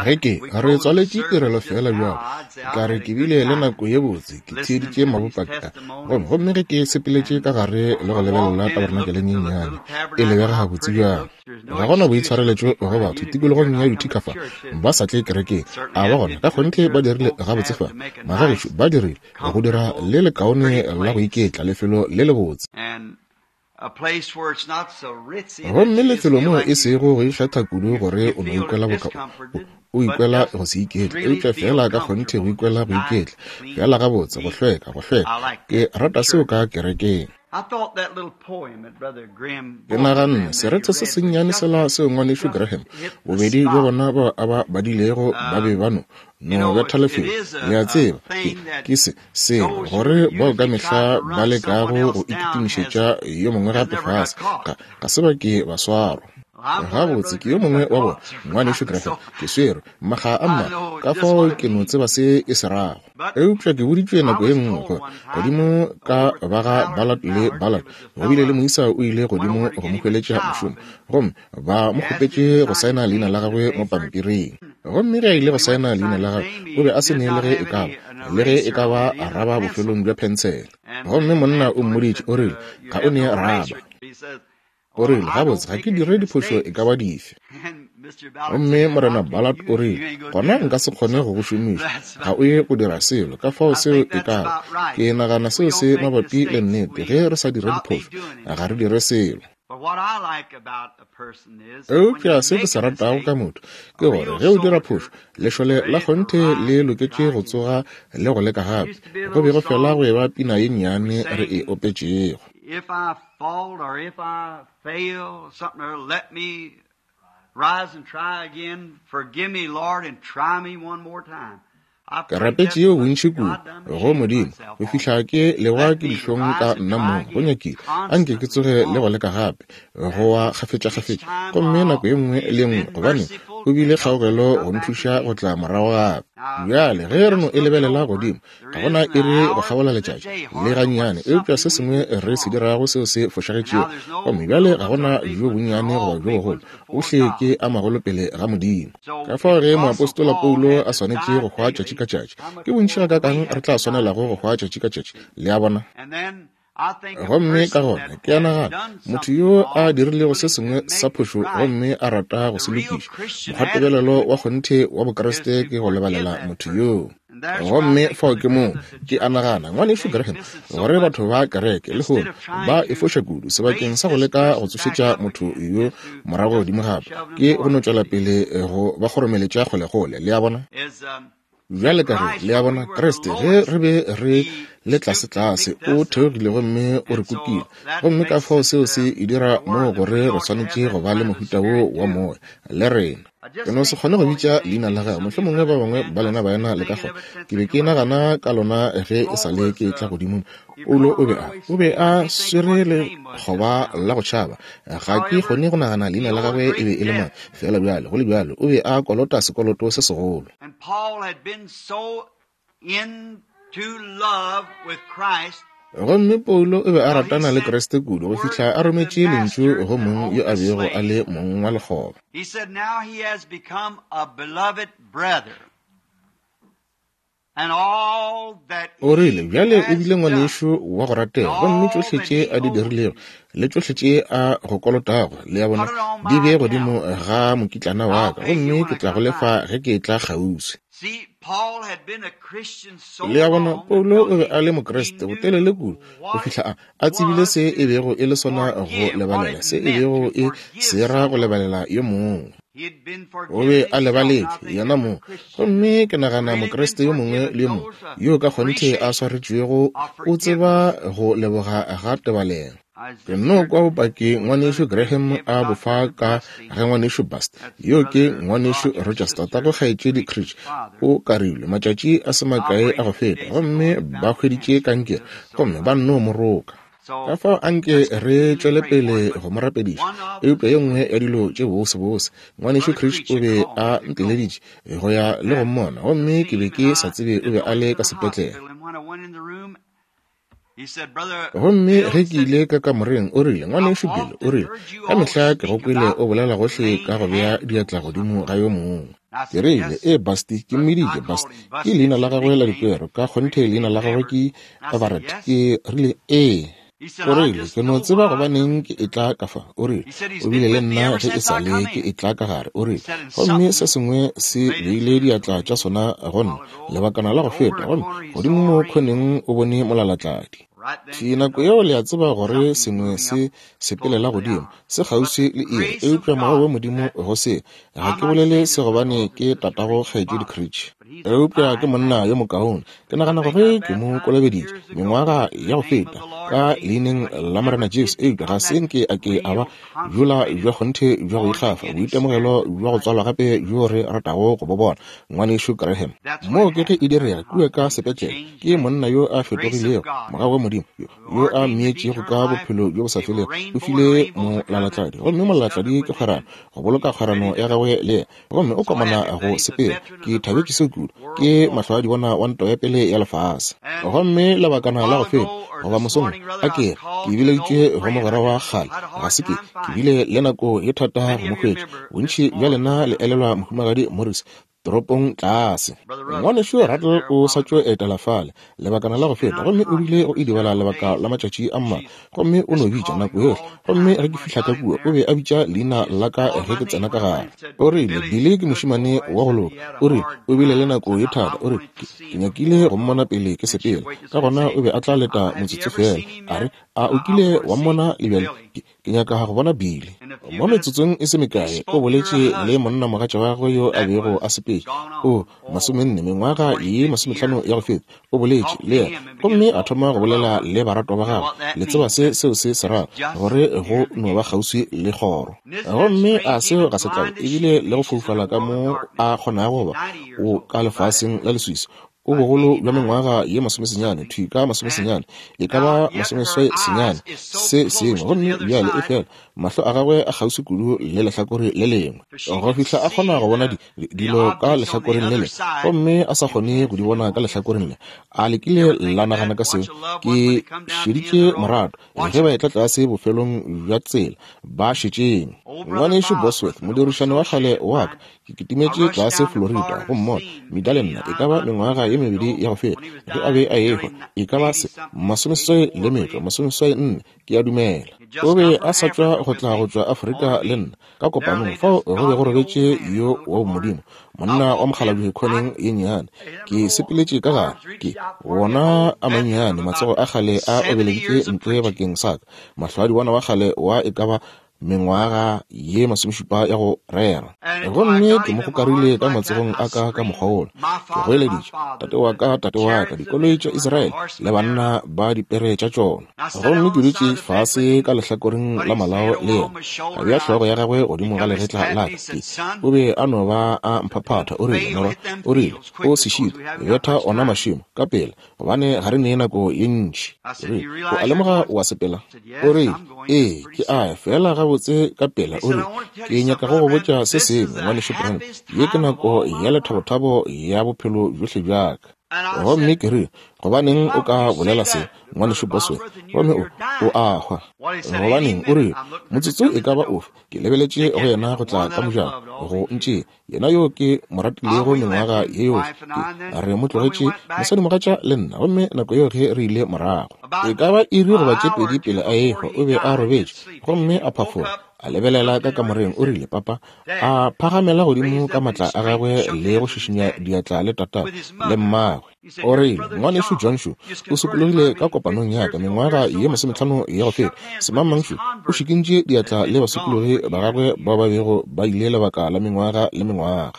Ge ke, re tswaletše tirelo feela bjalo, ka re ke bile le nako ye botse ke theeditše mabopaki a. Gomme, gomme ge ke sepeletše ka gare le go lebelela tabarenakele ye nnyane, e lebega gabotse bjang. Ga go na boitshwareletšo go batho tikologong ya Utica fa, ba sa tle kerekeng. A ba gona, ka kgonthe ba dirile gabotse fa. Magagešo, ba dirile, go dira le lekaone la go iketla, lefelo le lebotse. Gomme lefelo moo e sego go ikgetha kudu gore o no ikwela boka o, o ikwela go se iketle, eupša feela ka kgonthe go ikwela go iketla, feela gabotse, go hlweka, go hlweka. Ke rata seo ka kerekeng. Ke naganne, Serethe se sennyane sela seo Ngwanešu Graham, bobedi bja bona bao a ba badilego, ba be ba no, no betha lefelo, le a tseba, ke, ke se, selo, gore bao ka mehla ba lekago go ikitimišetša yo mongwe gape fase, ga, ga se ba ke ba swarwa. Gabotse, ke yo mongwe wa bona, Ngwanešu Graham. Ke swerwe, makga a mmalwa, ka fao ke no tseba se e se rago. Eupša ke boditšwe nako ye nngwe gore godimo ka ba ga Ballard le Ballard, go bile le moisa o ile godimo go mo hweletša mošomo, gomme ba mo kgopetše go saena leina la gagwe mo pampiring. Gomme ge a ile go saena leina la gagwe, o be a se ne le ge e ka ba, le ge e ka ba raba bofelong bja phensele. Gomme monna o mmoditše, o rile, Ga o ne raba. O rile, Gabotse, ga ke dire diphošo e ka ba dife. Gomme Morena Ballard o rile, Gona nka se kgone go go šomiša. Ga o ye go dira selo. Ka fao seo e ka ba. Ke nagana seo se mabapi le nnete. Ge re sa dire diphošo, ga re dire selo. Eupša se ke se ratago ka motho ke gore ge o dira phošo, lešole la kgonthe le loketše go tsoga le go leka gape. Go be go fela go eba pina ye nnyane re e opetšego. If I fault or if I fail something or let me rise and try again. Forgive me, Lord, and try me one more time. Ke rapetše yeo bontši kudu go Modimo go fihla ke lewa ke dihlong ka nna mong. Go nyakile a nke ke tsoge le go leka gape, go wa kgafetšakgafetša, gomme nako ye nngwe le ye nngwe, gobane o bile kgaogelo go nthuša go tla morago gape. Bjale ge re no e lebelela godimo, Ga go na iri go kgabola letšatši, le gannyane, eupša se sengwe re se dirago seo se fošagetšego. Gomme bjale ga go na bjo bonnyane goba bjo bogolo, ohle ke a magolo pele ga Modimo. Ka fao ge moapostola Paulo a swanetše go hwa tšatši ka tšatši, ke bontši gakaakang re tla swanelago go hwa tšatši ka tšatši, le a bona? Gomme ka gona ke a nagana, motho yo a dirilego se sengwe sa phošo gomme a rata go se lokiša, mokgwatebelelo wa kgonthe wa Bokriste ke go lebalela motho yoo. Gomme fao ke moo ke a nagana, Ngwanešu Graham, gore batho ba kereke lehono ba e foša kudu, sebakeng sa go leka go tsošetša motho yo morago godimo gape, ke go no tšwela pele go ba kgoromeletša kgolekgole. Le a bona? Bjale ka ge, le a bona, Kriste, ge re be re le tlasetlase, o theogile gomme o re kukile. Gomme ka fao seo se e dira moo gore re swanetše go ba le mohuta wo wa moya, le rena. Ke no se kgone go bitša leina la gagwe, mohlomongwe ba bangwe ba lena baena le ka kgona. Ke be ke nagana ka lona ge e sa le ke etla godimo mo. Paulo o be a, o be a swere lekgoba la go tšhaba. Ga ke kgone go nagana leina la gagwe e be e le mang, feela bjale, go le bjalo, o be a kolota sekoloto se segolo. And Paul had been so into love with Christ. Gomme Paulo o be a ratana le Kriste kudu go fihla a rometše lentšu go mong yo a bego a le mong wa lekgoba. He said now he has become a beloved brother. And all that O rile, he Bjale o has bile done, ngwanešu wa go ratega, gomme all tšohle that tše he a di owes dirilego you, le tšohle tše a go kolotago, le a bona, put it on di my bee godimo account. ga mokitlana wa I'll ka, pay you gomme when ke I tla go come lefa by. ge ke etla kgauswi. See, Paul had been a Christian so Le a bona, long Paulo until o be he, a le he Mokriste botelele knew kudu go what it fihla a, a tsebile was se e to bego e le sona go forgive, what lebalela, it se e meant bego to e forgive se ra go someone. lebalela yo mongwe. He had been O be forgiven a himself, and I lebaletšwe think yena every mong. Christian Gomme ke that's nagana really been Mokriste yo mongwe forgiven le yo mongwe knows the yo ka kgonthe a appreciation swaretšwego of o tseba forgiveness. go leboga ga tebalelo. I was Ke just nno heard kwa bopaki with Ngwanešu Brother Graham Graham a bo about fa Brother ka Busty. ge Ngwanešu Bust, That's yo ke Brother Ngwanešu Rogers' Rogers, sister, tatago kgaetšedi Creech's Creech, father, o karilwe matšatši a se makae a go operated 2 feta days ago gomme and ba found hweditše cancer. kankere Just so gomme ba sorry. nno mo roka. Ka So fao anke let's re continue to tšwele pray for pele him. But go mo rapediša. one of Eupša the ye nngwe ya dilo tše bosebose, Ngwanešu Brother Creech o Creech had be called a me to go nteleditše go ya le go and mmona, to gomme see ke be him, ke and sa I tsebe o didn't be know a he le was ka in the sepetlele. hospital. And when I went in the room, he said, Brother Gomme Bill ge ke said, ile ka kamoreng, o rile, I've Ngwanešu Bill, o often rile, heard you ka all mehla ke go speak kwele about o bolela gohle laying ka go bea hands on diatla godimo someone. ga yo mongwe. Ke rile, Ee, Busty. Ke mmiditše Busty. Ke leina la gagwe la dikwero. Ka kgonthe leina la gagwe ke Everett. Ke rile, Ee. O rile, Ke no tseba gobaneng ke etla ka fa. O rile, O bile le nna ge e sa le ke etla ka gare. O rile, Gomme se sengwe se beile diatla tša sona go nna, lebakana la go feta, gomme godimo mo khoneng o bone molalatladi. Thwi nako yeo le a tseba gore sengwe se sepelela godimo, se kgauswi le iri, eupša mogau wa Modimo go se. Ga ke bolele se gobane ke tatago Kgaetšedi Creech, eupša ke monna yo mokaone. Ke nagana gore ke mo kolobeditše mengwaga ya go feta ka Leineng la Morena Jesu, eupša ga se nke a ke a ba bjola bja kgonthe bja go ikgafa, boitemogelo bja go tswalwa gape bjo re ratago go bo bona. Ngwanešu Graham, moo ke ge e direga kua ka sepetlele, ke monna yo a fetogilego, mogau wa Modimo, yo, yo a mmeetšego ka bophelo bjo bo sa felego, o file molalatladi, gomme molalatladi ke kgwerano, go boloka kgwerano ya gagwe le yena, gomme o komana go sepela. Ke thabetše seo kudu. Ke mahlwaadibona wa ntwa ya pele ya lefase. Gomme lebakana la go feta, goba mosong, a ke re, ke bileditšwe go mogwera wa kgale, ga se ke, ke bile le nako ye thata go mo hwetša. Bontši bja lena le elelwa Mohumagadi Morris, toropong tlase. Ngwanešu Rattle o sa tšo etela fale lebakana la go feta, gomme o bile go idibala lebaka la matšatši a mmalwa, gomme o no bitša nako yohle. Gomme ge ke fihla ka kua, o be a bitša leina la ka ge ke tsena ka gare. O rile, Billy ke mošemane wa go loka. O rile, O bile le nako ye thata. O rile, Ke, ke nyakile go mmona pele ke sepela. Ka gona o be a tla leta motsotso feela. A re, A o kile wa mmona le bjale? Ke, Ke nyaka go bona Billy. Mo metsotsong e se mekae, o boletše le monnamogatša wa gagwe yo a bego a sepetše, o, masomenne, mengwaga ye masomehlano ya go feta, o boletše le yena, gomme a thoma go bolela le baratwa ba gagwe. Le tseba se seo se se rago, gore go no ba kgauswi le kgoro. Gomme a seo ga se tlabe, ebile le go foufala ka mo a kgonago go ba, o ka lefaseng la leswiswi, O bogolo bja mengwaga ye masomesenyane, thwi ka masomesenyane, e ka ba masomeswai senyane, se sengwe. Gomme bjale, efela, mahlo a gagwe a kgauswi kudu le lehlakore le lengwe, go fihla a kgona go bona di, di, dilo ka lehlakoreng le lengwe, gomme a sa kgone go di bona ka lehlakoreng le. A le kile la nagana ka seo? Ke šeditše morato, ge ba etla tlase bofelong bja tsela, ba šetšeng. Ngwanešu Bosworth, modirišani wa kgale wa ka, Ke kitimetše tlase Florida go mmona, Meda le nna, e ka ba mengwaga ye mebedi ya go feta, ge a be a ehwa, e ka ba se, masomeseswai le metšo, masomeseswai nne, ke a dumela. O be a sa tšwa go tla go tšwa Afrika le nna, ka kopanong, fao go be go robetše yo wa bomodimo, monna wa mokgalabje khoneng ye nnyane. Ke sepeletše ka gare, ke wona a mannyane, matsogo a kgale a obeleditšwe ntle bakeng sa ka, mahlwaadibona wa kgale wa e ka ba mengwaga ye masomešupa ya go rera. Gomme ke mo gokarile ka matsogong a ka ka mokgwa wola. Ke goeleditše, Tate wa ka, tate wa ka, dikoloi tša Israele le banna ba dipere tša tšona. Gomme ke dutše fase ka lehlakoreng la malao le yena, a bea hlogo ya gagwe godimo ga legetla la ka. Ke, o be a no ba a mphaphatha, o rile, Morwa, o rile, o se šitwe, betha ona mašemo, ka pela, gobane ga re ne nako ye ntši. Re, o a lemoga o a sepela? O re, Ee, ke a ya, feela gabotse ka pela. O re, Ke nyaka go go botša se sengwe, Ngwanešu Branham. Ye ke nako ya lethabothabo ya bophelo bjohle bja ka. Gomme ke re, Gobaneng o ka bolela se, Ngwanešu Bosworth, gomme o, o a hwa? Gobaneng, o re, motsotso e ka ba ofe, ke lebeletše go yena go tla ka mojako, go ntšea. Yena yo ke mo ratilego mengwaga ye yohle, ke re mo tlogetše mosadimogatša le nna, gomme nako yeo ge re ile morago, e ka ba iri goba tše pedi pele a ehwa, o be a robetše, gomme a phafoga, a lebelela ka kamoreng, o rile, Papa, a phagamela godimo ka matla a gagwe le go šišinya diatla le tatagwe le mmagwe. O rile, Ngwanešu John šo o sokologile ka kopanong ya ka mengwaga ye masometlhano ya go feta. Semangmang šo o šikintše diatla le basokologi ba gagwe bao ba bego ba ile lebaka la mengwaga le mengwaga.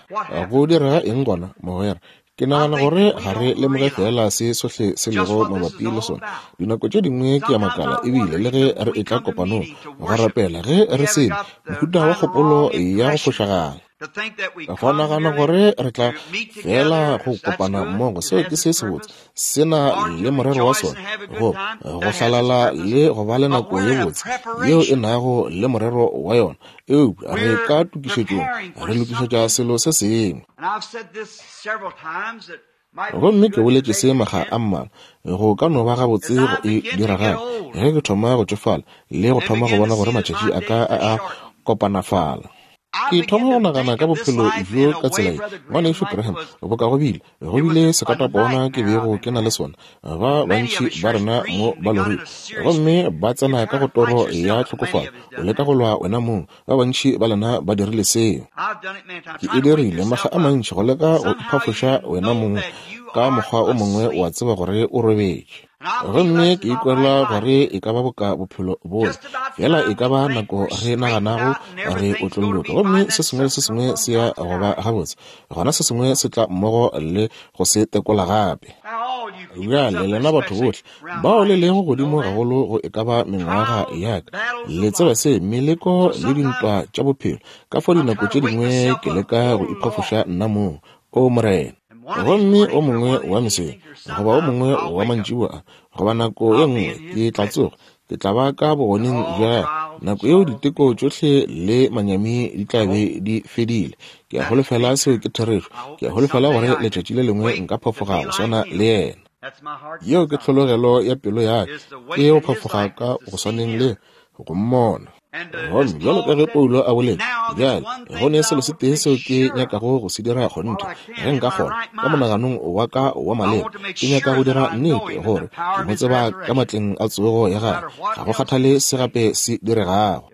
Go direga eng gona, mogwera? Ke nagana gore ga re lemoge feela se sohle se lego mabapi le sona. Dinako tše dingwe ke a makala, ebile le ge re etla kopanong go rapela, ge re se ne mohuta wa kgopolo ya go fošagala. Go nagana gore re tla fela go kopana mmogo, seo ke se sebotse, se na le morero wa sona, go go hlalala le go ba le nako ye botse yeo e nago le morero wa yona. Eupša re ka tokišetšong, re lokišetša selo se sengwe. Gomme ke boletše se makga a mmalwa, go ka no ba gabotse go e dira gape, ge ke thoma go tšofala le go thoma go bona gore matšatši a ka a a kopanafala. Ke thoma go nagana ka bophelo bjo ka tsela ye, Ngwanešu Graham, boka go bile, go bile sekatapona ke bego ke na le sona. Ba bantši ba rena mo ba lorile, gomme ba tsena ka go toro ya tlhokofalo, o leka go lwa wena mong. Ba bantši ba lena ba dirile seo. Ke e dirile makga a mantši, go leka go iphafoša wena mong ka mokgwa o mongwe, wa tseba gore o robetše. Gomme ke ikwela gore e ka ba boka bophelo bola, fela e ka ba nako re naganago re otlolloke, gomme se sengwe le se sengwe se ya go ba gabotse, gona se sengwe se tla mmogo le go se tekola gape. Bjale lena batho bohle bao le lego godimo gagolo go e ka ba mengwaga ya ka, le tseba se, meleko le dintwa tša bophelo, ka fao dinako tše dingwe ke leka go iphafoša nna mong, O Morena. Gomme o mongwe wa mesong, goba o mongwe wa mantšiboa a, goba nako ye nngwe, ke tla tsoga, ke tla ba ka bogoneng bja gagwe. Nako yeo diteko tšohle le manyami di tla be di fedile. Ke a holofela seo ke therešo. Ke a holofela gore letšatši le lengwe nka phafoga go swana le yena. Yeo ke tlhologelo ya pelo ya ka, ke go phafoga ka go swaneng le go mmona. Gomme bjalo ka ge Paulo a boletše, bjale go ne selo se tee seo ke nyakago go se dira kgonthe, ge nka kgona, ka monaganong wa ka wa maleba, ke nyaka go dira nnete gore ke mo tseba ka matleng a tsogo ya gagwe, ga go kgathale se gape se diregago.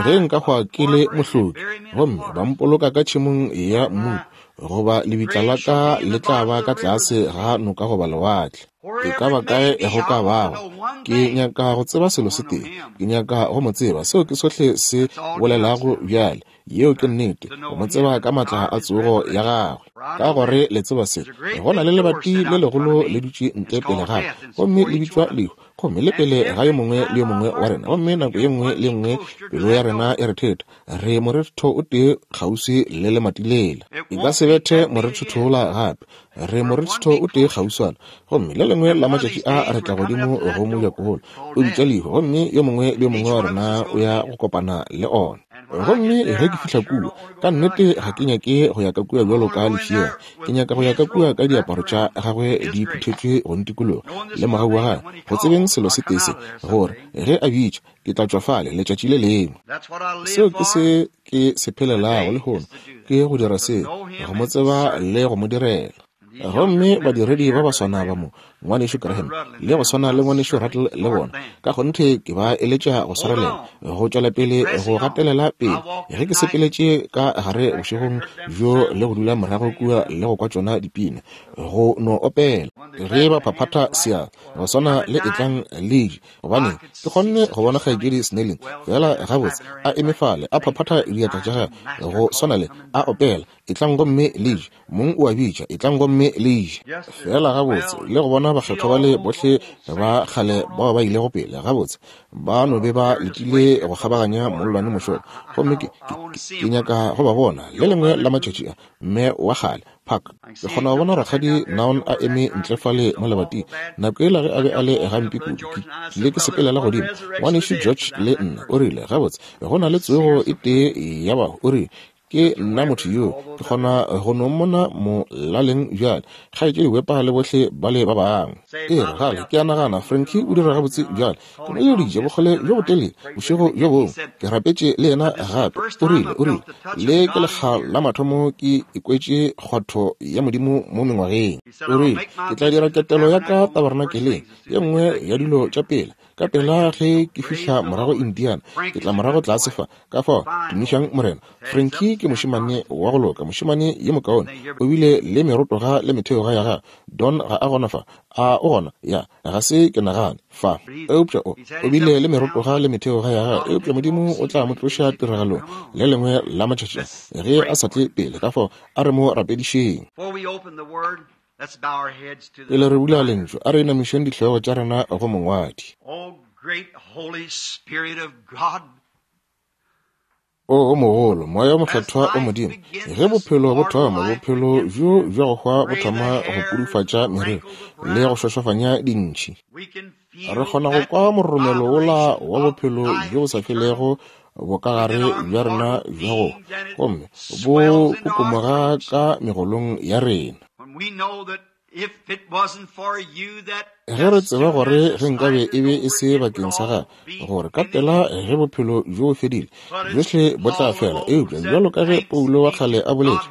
Ge nka hwa ke le mohloki, gomme ba mpoloka ka tšhemong ya mmupo, goba lebitla la ka le tla ba ka tlase ga noka goba lewatle, e ka ba kae go ka bago, ke nyaka go tseba selo se tee, ke nyaka go mo tseba. Seo ke sohle se bolelago bjale. Yeo ke nnete, go mo tseba ka matla a tsogo ya gagwe. Ka gore le tseba se, go na le lebati le legolo le dutše ntle pele ga ka, gomme le bitšwa lehu, gomme le pele ga yo mongwe le yo mongwe wa rena. Gomme nako ye nngwe le ye nngwe pelo ya rena e re theta, re morethetho o tee kgauswi le lemati lela. E ka se bethe morethetho wola gape, re morethetho o tee kgauswana. Gomme le lengwe la matšatši a re tla godimo go mojako wola o bitša lehu, gomme yo mongwe le yo mongwe wa rena o ya go kopana le ona. Gomme ge ke fihla kua, ka nnete ga ke nyake go ya ka kua bjalo ka lefšega. Ke nyaka go ya ka kua ka diaparo tša gagwe di phuthetšwe go ntikologa, le mogau wa gagwe, go tsebeng selo se tee se, gore ge a bitša, ke tla tšwa fale letšatši le lengwe. Seo ke se ke se phelelago lehono, ke go dira seo, go mo tseba le go mo direla. Gomme badiredi ba ba swana ba mo, Ngwanešu Graham, le go swana le Ngwanešu Rattle le bona, ka kgonthe ke ba eletša go swarelela, go tšwela pele, go gatelela pele. Ge ke sepeletše ka gare bošegong bjo le go dula morago kua le go kwa tšona dipina, go no opela, ge ba phaphatha seatla, go swana le Etlang le je, gobane ke kgonne go bona Kgaetšedi Snelling feela gabotse a eme fale a phaphatha diatla tša gagwe, go swana le a opela, Etlang gomme le je. Mong o a bitša, etlang gomme le je. Feela gabotse, le go bona bakgethwa bale bohle ba kgale bao ba ilego pele, gabotse, ba no be ba letile go kgabaganya mollwane mošola. Gomme ke, ke, ke nyaka go ba bona, le lengwe la matšatši a, mme wa kgale, Park. Ke kgona go bona Rakgadi Naon a eme ntle fale mo lebating, nako yela ge a be a le gampe kudu. Ke ile ke sepelela godimo, Ngwanešu George le nna. O rile, Gabotse, go na le tsogo e tee ya bahu. O rile, Ke nna motho yoo, ke kgona go no mmona molaleng bjale, Kgaetšedi Wepa le bohle bale ba bangwe. E re, gale, ke a nagana Frankie o dira gabotse bjale. Ke mo eleditše bokgole bjo botelele bošego bjo bongwe. Ke rapetše le yena gape. O rile, o rile, Le ke lekga la mathomo ke ikwetše kgwatho ya Modimo mo mengwageng. O rile, Ke tla dira ketelo ya ka tabernakeleng, ye nngwe ya dilo tša pele. Ka pela ge ke fihla morago Indiana, ke tla morago tlase fa. Ka fao, tumišang Morena. Frankie ke mošemane wa go loka, mošemane yo mokaone. O bile le merotoga le metheoga ya gagwe. Don ga a gona fa. A o gona? Ya, ga se ke nagane, fa. Eupša o, o bile le merotoga le metheoga ya gagwe, eupša Modimo o tla mo tloša tiragalong le lengwe la matšatši a, ge a sa tle pele. Ka fao, a re mo rapedišeng. Pele re bula Lentšu, a re inamišeng dihlogo tša rena go Mongwadi. O o mogolo, Moya o Mokgethwa o Modimo, ge bophelo bo thoma, bophelo bjo bja go hwa bo thoma go pudufatša meriri le go šošofanya dintšhi. Re kgona go kwa mororomelo wola wa bophelo bjo bo sa felego bokagare bja rena bja go gomme bo kokomoga ka megolong ya rena. Ge re tseba gore ge nkabe e be e se bakeng sa gagwe, gore ka pela ge bophelo bjo bo fedile, bjohle bo tla fela. Eupša bjalo ka ge Paulo wa kgale a boletše,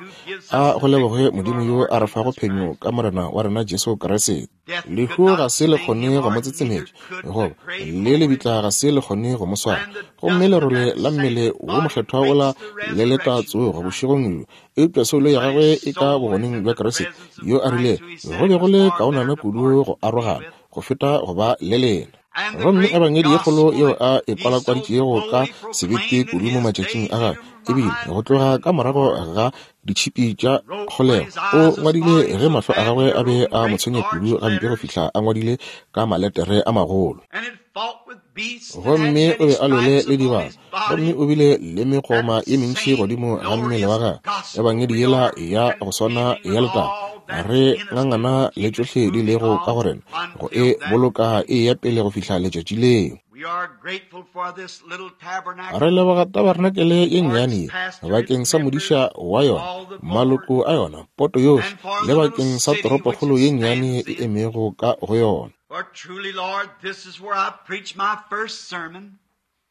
a go lebogwe Modimo yo a re fago phenyo ka Morena wa rena Jesu Kriste. Lehu ga se le kgone go mo tsetsemetša, goba le lebitla ga se le kgone go mo swara. Gomme lerole la mmele wo mokgethwa wola le leta tsogo bošegong bjo, eupša soulo ya gagwe e ka bogoneng bja Kriste, yo a rile go be go le kaonana kudu go arogana go feta go ba le lena. Gomme ebangedi ye kgolo yeo a e kwalakwaditšego ka sebete kudu mo matšatšing a gagwe, ebile go tloga ka morago ga ditšhipi tša kgolego, o ngwadile ge mahlo a gagwe a be a mo tshwenya kudu gampe go fihla a ngwadile ka maletere a magolo. Gomme o be a lwele le dibata, gomme o bile le megoma ye mentši godimo ga mmele wa gagwe. Ebangedi yela ya go swana ya letago, re ngangana le tšohle di lego ka go rena, go e boloka e eya pele go fihla letšatši leo. Re leboga tabarenakele ye nnyane ye bakeng sa modiša wa yona, maloko a yona, poto yohle, le bakeng sa toropokgolo ye nnyane e emego ka go yona.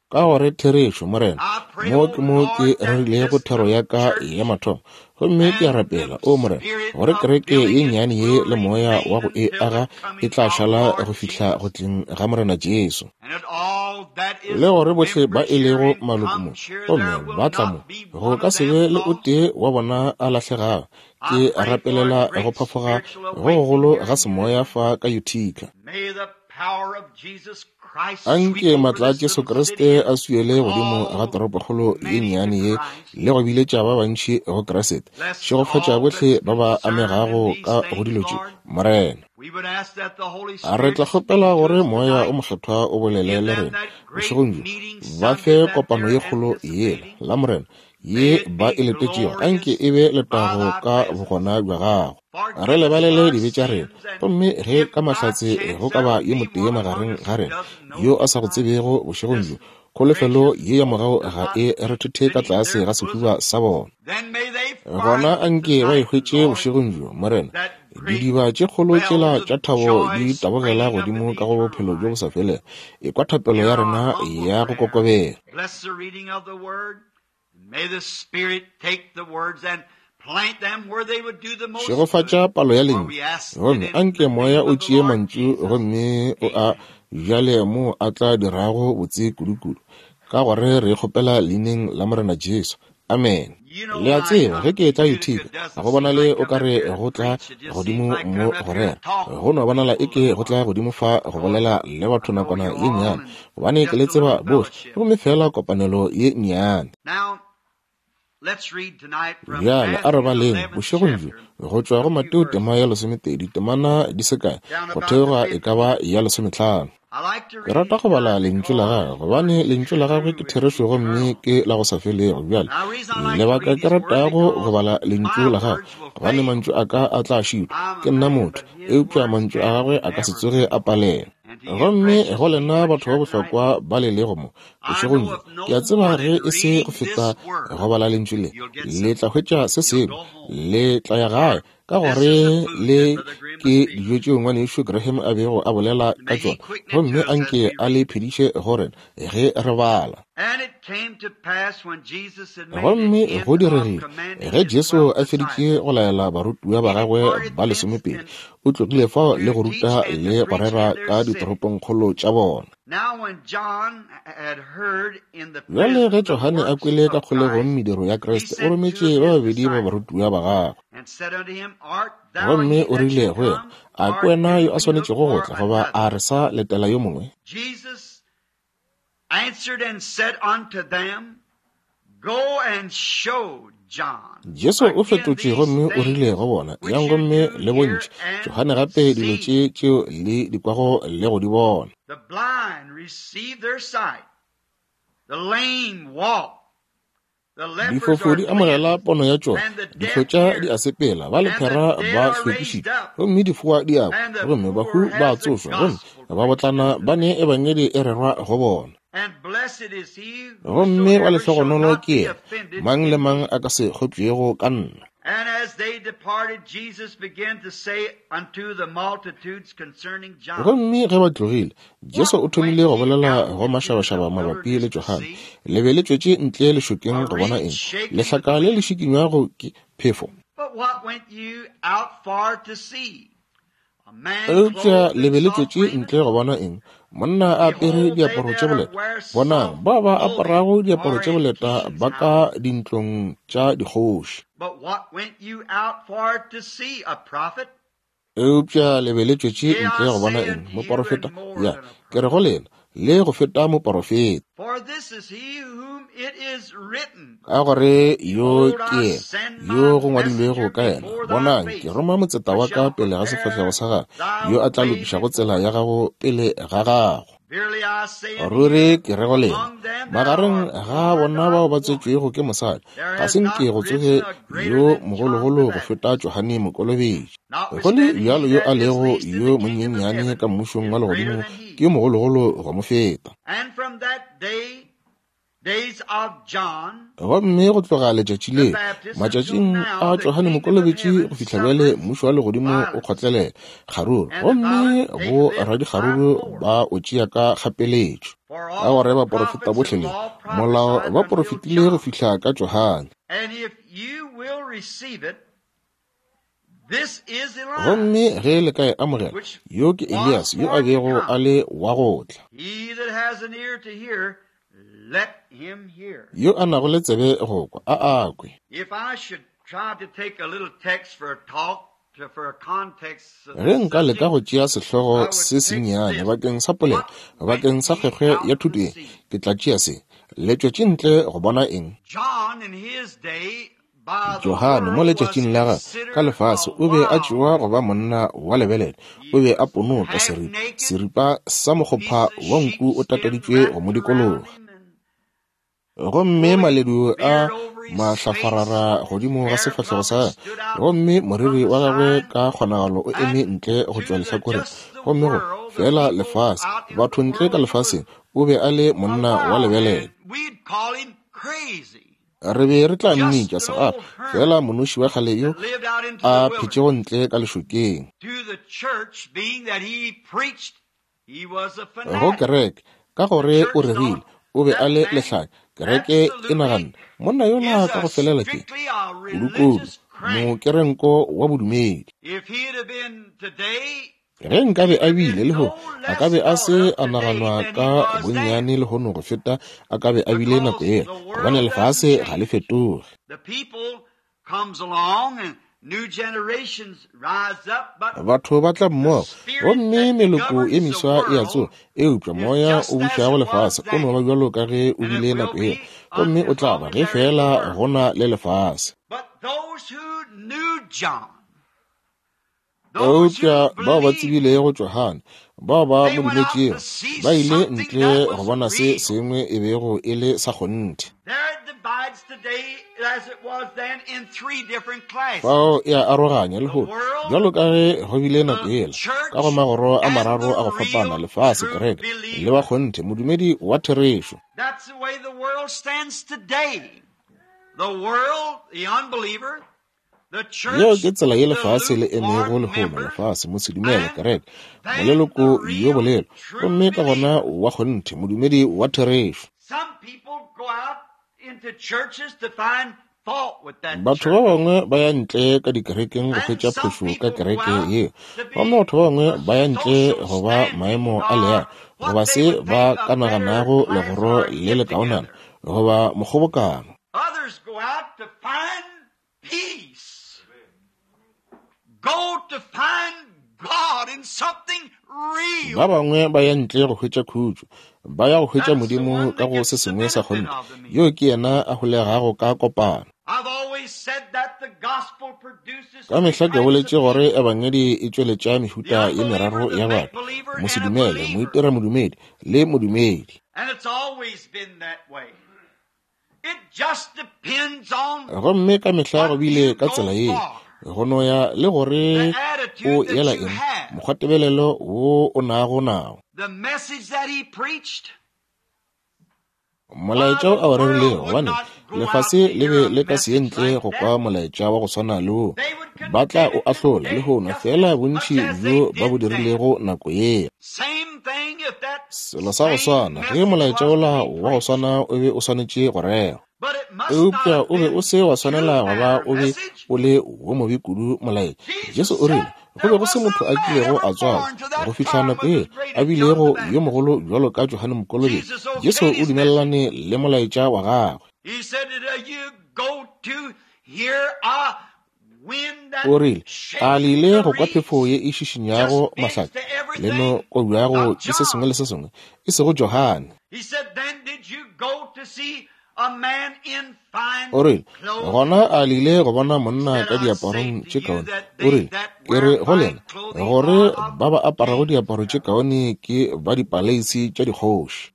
Ka gore therešo, Morena, mo ke mo ke rerilego thero ya ka ya mathomo, gomme ke a rapela, o Morena, gore kereke ye nnyane ye le moya wa go e aga e tla šala go fihla go tleng ga Morena Jesu. Le gore bohle ba e lego maloko mo, gomme ba tla mo, go ka se be le o tee wa bona a lahlegago. Ke rapelela go phafoga go gogolo ga semoya fa ka Utica. Anke matla a Jesu Kriste a swiele godimo ga toropokgolo ye nnyane ye le go biletša ba bantši go Kriste. Šegofatša bohle ba ba amegago ka go dilo tše, Morena. Re tla kgopela gore Moya o Mokgethwa o bolele le rena bošegong bjo. Ba fe kopano ye kgolo yela, la Morena, ye ba e letetšego, anke e be letago ka bogona bja gago. Re lebalele dibe tša rena, gomme ge ka mahlatse go ka ba yo motee magareng ga rena yo a sa go tsebego bošegong bjo, kholofelo ye ya morago ga e re thuthe ka tlase ga sehuba sa bona. Gona anke ba e hwetše bošegong bjo, Morena, didiba tše kgolo tšela tša thabo di tabogela godimo ka go bophelo bjo bo sa felego. Ekwa thapelo ya rena ya go kokobela. Šegofatša palo ya lentšu, gomme anke Moya o tšee mantšu gomme o a bjale moo a tla dirago botse kudukudu, ka gore re kgopela leineng la Morena Jesu. Amen. Le a tseba, ge ke etla Utica, go bonale o ka re go tla godimo mo go rera. Go no bonala eke go tla godimo fa go bolela le batho nakwana ye nnyane, gobane ke le tseba bohle, gomme feela kopanelo ye nnyane. Bjale a re baleng bošegong bjo go tšwa go Mateo tema ya 12, temana di se kae, go theoga e ka ba ya 15. Ke rata go bala Lentšu la Gagwe, gobane Lentšu la Gagwe ke therešo gomme ke la go sa felego. Bjale, lebaka ke ratago go bala Lentšu la Gagwe, gobane mantšu a ka a tla šitwa. Ke nna motho, eupša mantšu a Gagwe a ka se tsoge a palelwa. Gomme go lena batho ba bohlokwa ba le lego mo bošegong bjo, ke a tseba ge e se go feta go bala Lentšu le, le tla hwetša se sengwe, le tla ya gae, ka gore le ke dijo tšeo ngwanešu Graham a bego a bolela ka tšona, gomme anke a le phediše go rena ge re bala. Gomme go diregile ge Jesu a feditše go laela barutiwa ba gagwe ba 12, o tlogile fao le go ruta le go rera ka ditoropongkgolo tša bona. Bjale ge Johane a kwele ka kgolegong mediro ya Kriste, o rometše ba babedi ba barutiwa ba gagwe. Gomme o rile go yena, A ke wena yo a swanetšego go tla, goba a re sa letela yo mongwe? Jesu o fetotše gomme o rile go bona, Yang gomme le bontšhe Johane gape dilo tše tšeo le di kwago le go di bona. Difofu di amogela pono ya tšona, dihlotša di a sepela, ba lephera ba hlwekišitšwe, gomme difoa di a kwa, gomme bahu ba a tsošwa, gomme babotlana ba ne ebangedi e rerwa go bona. Gomme wa lehlogonolo ke yena mang le mang a ka se kgopšego ka nna. And as they departed, Jesus began to say unto the multitudes concerning John. Gomme ge ba tlogile, Jesu o thomile go bolela go mašabašaba mabapi le Johane. Le be le tšwetše ntle lešokeng go bona eng? Lehlaka le le šikinywago ke phefo. But what went you out for to see? A man Eupša clothed le be in le soft tšwetše raiment? ntle go bona eng? Monna a apere Behold, they diaparo tše that are boleta. wear Bonang, soft ba ba clothing aparago diaparo are tše in boleta kings' ba ka houses. dintlong tša dikgoši. But what went you out for to see? A prophet? Eupša le be le tšwetše Yea, ntle I go bona say eng? unto you, Moporofeta? and more Ya, than a ke re prophet. go lena, le go feta moporofeta. For this is he whom it is written, Ka gore yo Behold, ke I yena send my yo go ngwadilwego messenger ka yena. before thy Bonang, ke face, roma motseta wa which ka shall pele ga sefahlego prepare sa gagwe, thy yo a tla way lokišago before tsela ya thee. gago pele ga gago. Verily I say unto Ruri you, ke re go lena, among them that magareng are ga born bona of bao ba woman, tswetšwego ke mosadi, there ga has se not nke go tsoge risen a greater yo than John the mogologolo go Baptist. feta Johane Mokolobetši. Go le Notwithstanding, he bjalo yo that a is lego least in yo the kingdom of monyenyane heaven ka mmušong is wa greater legodimo than he. ke yo mogologolo go mo feta. And from that day, days of John Gomme go tloga letšatši the leo, Baptist until matšatšing now, a the Johane kingdom of Mokolobetši heaven go fihla bjale, suffereth mmušo wa legodimo o violence, kgotlelela kgaruru, and the gomme violent taketh bo it by radikgaruru force. ba o tšea ka kgapeletšo. For Ka all gore the baporofeta prophets bohle and le law molao prophesied ba until porofetile go John. fihla ka Johane. And if you will receive it, this is Elias, Gomme ge le ka e amogela, which yo ke was Elias yo a for to bego a come. le wa go tla. He that has an ear to hear, let him hear. Yo a nago le tsebe go kwa, a a kwe. If I should try to take a little text for a talk, to, for a context of Ge this nka leka subject, go tšea I sehlogo would se take sennyane this. bakeng sa polelo, What went bakeng sa ye kgwekgwe ya out to thuto ye, see? ke tla tšea se. Le tšwetše ntle go bona eng? John in his day by the Johane mo world was letšatšing la gagwe ka considered lefase a o be a wild tšewa go man. ba monna wa lebelele. He O be a was ponoka half seripa, naked, seripa sa mokgopha piece of wa nku o sheepskin tateditšwe go mo wrapped around dikologa. him, and Gomme woolly maledu a beard over his face. mahlafarara His godimo ga hair sefahlego probably sa gagwe, stood out gomme from moriri the wa gagwe side. ka kgonagalo o eme And ntle go to tšwa the lehlakoreng. just the Gomme go world, the fela people lefase, out in the batho ntle ka world, he was lefaseng, o be a le a monna wa wild man. lebelele. We'd call him crazy. Re be re tla Just mmitša an segafa, old fela hermit monoši wa kgale yo that lived out into the a phetšego wilderness. ntle ka lešokeng. To the church, being that he preached, he was a Go fanatic. kereke, ka The gore o church rerile, thought o be a that le man lehlanya. Kereke e absolutely naganne, monna yola is ka a go felela ke strictly a kudukudu, religious crank. mokerenko wa bodumedi. If he'd have been today, Ge nkabe he'd a have bile been lehono, no a ka less be a thought se of a today naganwa than he ka was then. bonnyane lehono go feta a ka be a bile nako Because yela, the gobane world doesn't lefase ga le change. fetoge. The people comes along and new generations rise up, but Batho ba tla the mmogo, spirit gomme that meloko ye governs the meswa e a tsoga, world eupša is moya just o as bušago it was lefase o no then, ba bjalo ka ge o and it bile will nako yela, be gomme as o tla long ba as ge there is a fela world. go na le lefase. But those who knew John, those who Eupša bao ba believed, tsebilego Johane, bao ba they mo went out to dumetšego, see ba ile something ntle that go was bona se real. sengwe e bego e le sa kgonthe. There it divides today as it was then in three different classes. Fao e a aroganya The lehono, world, bjalo ka ge go bile nako the yela, ka go church, magoro a and mararo the a go fapana, real lefase, true kereke, le ba believer. kgonthe, modumedi wa therešo. That's the way the world stands today. The world, the unbeliever, the Yeo church, ke tsela ye the lefase le emego lukewarm lehono, member, lefase, mosedumele, and kereke, then moleloko the yo real bolelo, true gomme ka gona believer. wa kgonthe, modumedi wa therešo. Some people go out into churches to find fault with that Batho ba church. bangwe ba ya ntle ka dikerekeng go And hwetša some phošo ka people go kereke out yeo, to gomme be batho ba bangwe a ba ya ntle social go ba standing maemo a or leago, what goba they se would ba think ka a better naganago class legoro or le get lekaonana together. goba mokgobokano. Others go out to find peace. Go to find God in something Ba real. bangwe ba ya ntle go hwetša khutšo, ba ya go hwetša That's the Modimo one ka that go gets se the sengwe sa benefit kgonthe. of the Yo meeting. ke yena a holegago ka kopano. I've always said that the gospel produces Ka three mehla ke types of boletše gore people. ebangedi e tšweletša The mehuta ye unbeliever, meraro the ya make batho, believer, and a mosedumele, believer. moitiramodumedi le modumedi. And it's always been that way. It just depends on Gomme ka mehla go what bile you ka go tsela ye, for, go no ya le gore the o attitude that yela you eng, have, mokgwatebelelo wo o nago nao. the message that he preached. Molaetša wo a o rerilego, gobane lefase le be le ka se ye ntle go kwa molaetša wa go swana le wo. Ba tla o ahlola lehono, feela bontši bjo ba bo dirilego nako yela. Selo sa go swana, ge molaetša wola wa go swana o be o swanetše go rerwa. Eupša o be o se wa swanela go ba o be o le wo mobe kudu molaetša. Jesu o rile, Go be go se motho a kilego a tswalwa go fihla nako ye a bilego yo mogolo bjalo ka Johane Mokolobetši. Jesu o dumelelane le molaetša wa gagwe. O rile, A le ile go kwa phefo ye e šišinyago mahlaka le no kobjago ke se sengwe le se sengwe? E sego Johane. O rile, Gona a le ile go bona monna ka diaparong tše kaone? O rile, Ke re go lena, gore ba ba aparago diaparo tše kaone ke ba dipaleisi tša dikgoši.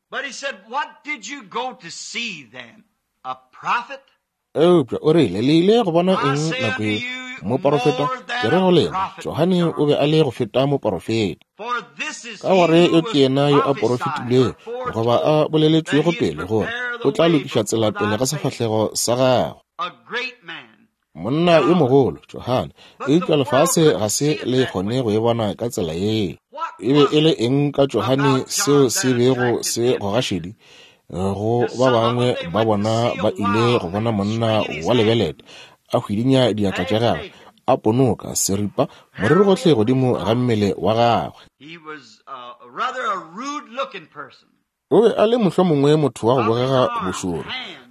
Eupša o rile, Le ile go bona eng nako ye? Moporofeta? Ke re go lena, Johane o be a le go feta moporofeta. Ka gore yo ke yena yo a porofetilwego goba a boleletšwego pele gore o tla lokiša tsela pele ga sefahlego sa gagwe. Monna yo mogolo, Johane, eupša lefase ga se le kgone go e bona ka tsela yeo. E be e le eng ka Johane seo se bego se goga šedi? Go ba bangwe ba bona ba ile go bona monna wa lebelete a hwidinya diatla tša gagwe, a ponoka seripa moriri gohle godimo ga mmele wa gagwe. O be a le mohlomongwe motho wa go bogega bošoro,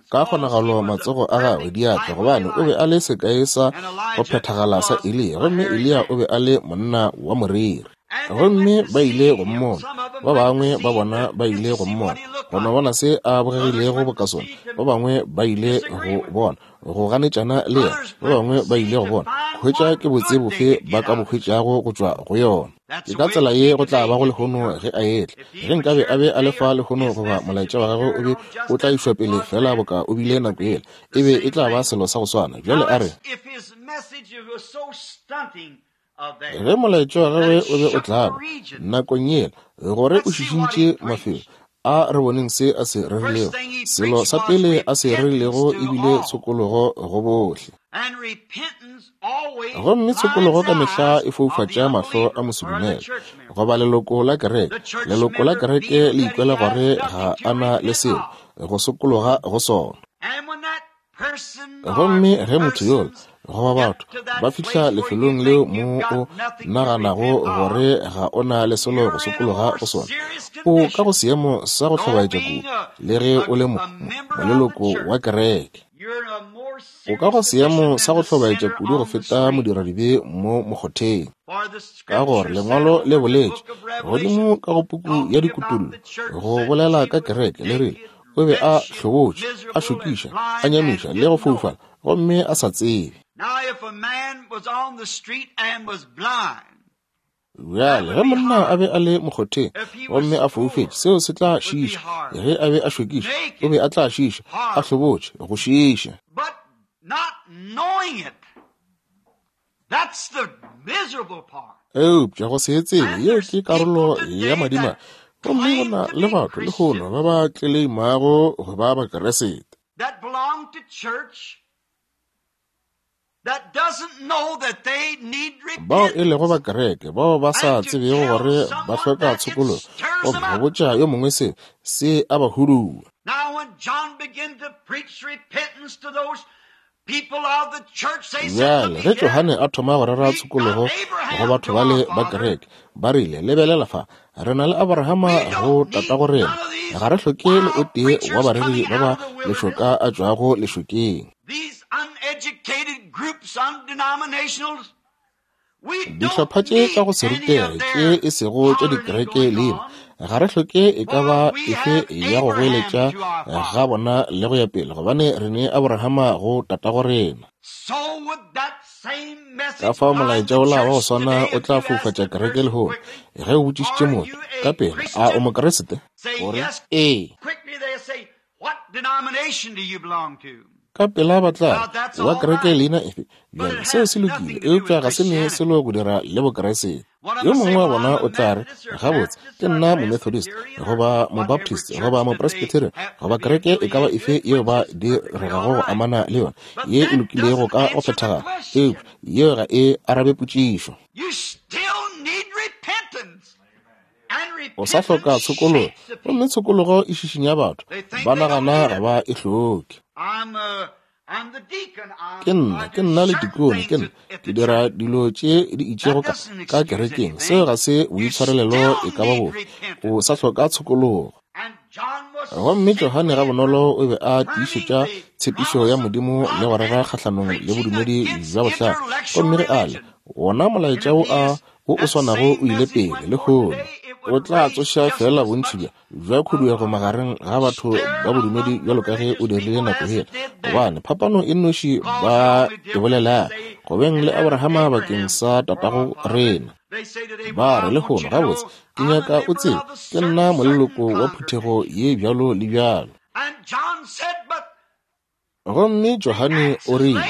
ka kgonagalo matsogo a gagwe, diatla, gobane o be a le sekai sa go phethagala sa Eliya, gomme Eliya o be a le monna wa moriri. Gomme ba ile go mmona, ba bangwe ba bona ba ile go mmona, go no bona se a bogegilego boka sona, ba bangwe ba ile go bona, go ganetšana le yena, ba bangwe ba ile go bona, hwetša ke botse bofe ba ka bo hwetšago go tšwa go yona. Ke ka tsela ye go tla bago lehono ge a etla. Ge nkabe a be a le fa lehono goba molaetša wa gagwe o be o tla išwa pele feela boka o bile nako yela, e be e tla ba selo sa go swana. Bjale a re. Ge molaetša wa gagwe o be o tlaba nakong yela, gore o šišintše mafelo, a re boneng se a se rerilego. Selo sa pele a se rerilego e bile tshokologo go bohle. Gomme tshokologo ka mehla e foufatša mahlo a mosedumele, goba leloko la kereke. Leloko la kereke le ikwela gore ga a na le selo go sokologa go sona. Gomme ge motho yola goba batho ba fihla lefelong leo mo o naganago gore ga o na le selo go sokologa go sona, o ka go seemo sa go hlobaetša kudu, le ge o le moleloko wa kereke. O ka go seemo sa go hlobaetša kudu go feta modiradibe mo mokgotheng. Ka gore Lengwalo le boletše godimo ka go puku ya Dikutullo, go bolela ka kereke, le rile, O be a hlobotše, a šokiša, a nyamiša le go foufala, gomme a sa tsebe. Bjale, ge monna a be a le mokgotheng gomme a foufetše, seo se tla šiiša. Ge a be a šokiša, o be a tla šiiša, a hlobotše, go šiiša. Eupša go se e tsebe, yeo ke karolo ya madimabe. Gomme go na le batho lehono ba ba tleleimago go ba Bakeresete. Bao e lego ba kereke, bao ba sa tsebego gore ba hloka tshokologo, gomme go botša yo mongwe seo se a ba hudua. Bjale, ge Johane a thoma go rera tshokologo go batho bale ba kereke, ba rile, Lebelela fa, re na le Abrahama go tatago rena. Ga re hloke le o tee wa bareri ba ba lešoka a tšwago lešokeng. Dihlopha tše tša go se rutege tše e sego tša dikereke leina, ga re hloke e ka ba efe ya go goeletša ga bona le go ya pele, gobane re ne Abrahama go tatago rena. Ka fao molaetša wola wa go swana o tla foufatša kereke lehono. Ge o botšišitše motho, ka pela, A o Mokriste? O re, Ee. Ka pela ba tla re, Wa kereke leina efe? Bjale, seo se lokile, eupša ga se ne selo go dira le Bokriste. Yo mongwe wa bona o tla re, Gabotse, ke nna Momethodist, goba Mobaptist, goba Mopresbyterian, goba kereke e ka ba efe yeo ba diregago go amana le yona, ye e lokilego ka go phethagala. Eupša yeo ga e arabe potšišo. O sa hloka tshokologo, gomme tshokologo e šišinya batho. Ba nagana ga ba e hloke. Ke nna, ke nna letikone, ke nna, ke dira dilo tše di itšego ka, ka kerekeng. Seo ga se boitshwarelelo e ka ba bofe. O sa hloka tshokologo. Gomme Johane gabonolo o be a tiišetša tshepišo ya Modimo le go rera kgahlanong le bodumedi bja bohlale. Gomme ge a le, wona molaetša wo a wo o swanago o ile pele lehono, o tla tsoša feela bontši bja bja khuduego magareng ga batho ba bodumedi bjalo ka ge o dirile nako yela, gobane phapano e nnoši ba e bolela go beng le Abrahama bakeng sa tatago rena. Ba re lehono, Gabotse, ke nyaka o tsebe, ke nna moleloko wa phuthego ye bjalo le bjalo. Gomme Johane o rile,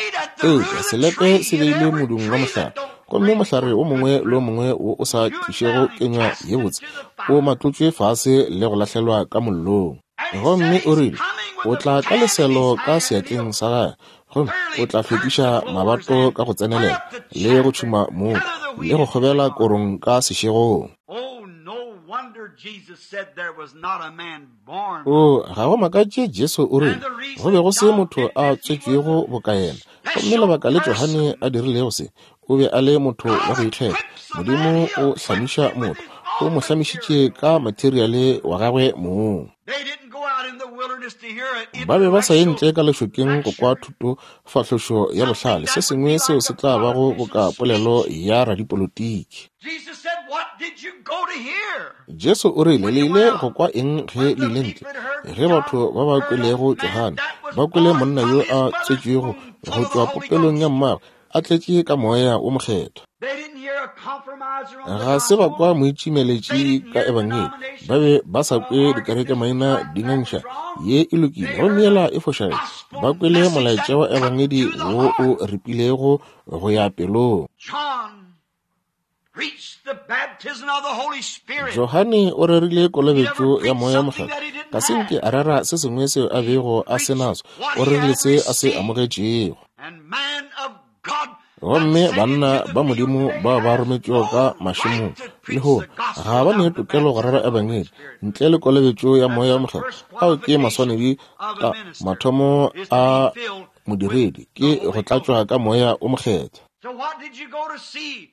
Eupša selepe se beilwe modung wa mohlare, gomme mohlare wo mongwe le wo mongwe wo o sa tlišego kenywa ye botse o matlotšwe fase le go lahlelwa ka mollong. Gomme o rile, O tla ka leselo ka seatleng sa gagwe, gomme o tla hlwekiša mabato ka go tsenelela, le go tšhuma mooko, le go kgobela korong ka sešegong. O, ga go makatše Jesu o rile, go be go se motho a tswetšwego boka yena. Gomme lebaka le Johane a dirilego se, o be a le motho wa go ikgetha. Modimo o hlamiša motho, o mo hlamišitše ka materiale wa gagwe mong. Ba be ba sa ye ntle ka lešokeng go kwa thutofahlošo ya bohlale, se sengwe seo se tla bago boka polelo ya radipolotiki. Jesu o rile, Le ile go kwa eng ge le ile ntle? Ge batho ba ba kwelego Johane, ba kwele monna yo a tswetšwego go tšwa popelong ya mmagwe, a tletše ka Moya wo Mokgethwa. Ga se ba kwa moitšimeletši ka Ebangedi. Ba be ba sa kwe dikerekemaina di ngangišana, ye e lokile gomme yela e fošagetše. Ba kwele molaetša wa Ebangedi wo o ripilego go ya pelong. Johane o rerile kolobetšo ya Moya Mokgethwa. Ga se nke a rera se sengwe seo a bego a se naso, o rerile se a se amogetšego. Gomme banna ba Modimo bao ba rometšwego ka mašemong lehono ga ba ne tokelo go rera ebangedi ntle le kolobetšo ya Moya Mokgethwa. Ao ke maswanedi a mathomo a modiredi, ke go tlatšwa ka Moya o Mokgethwa.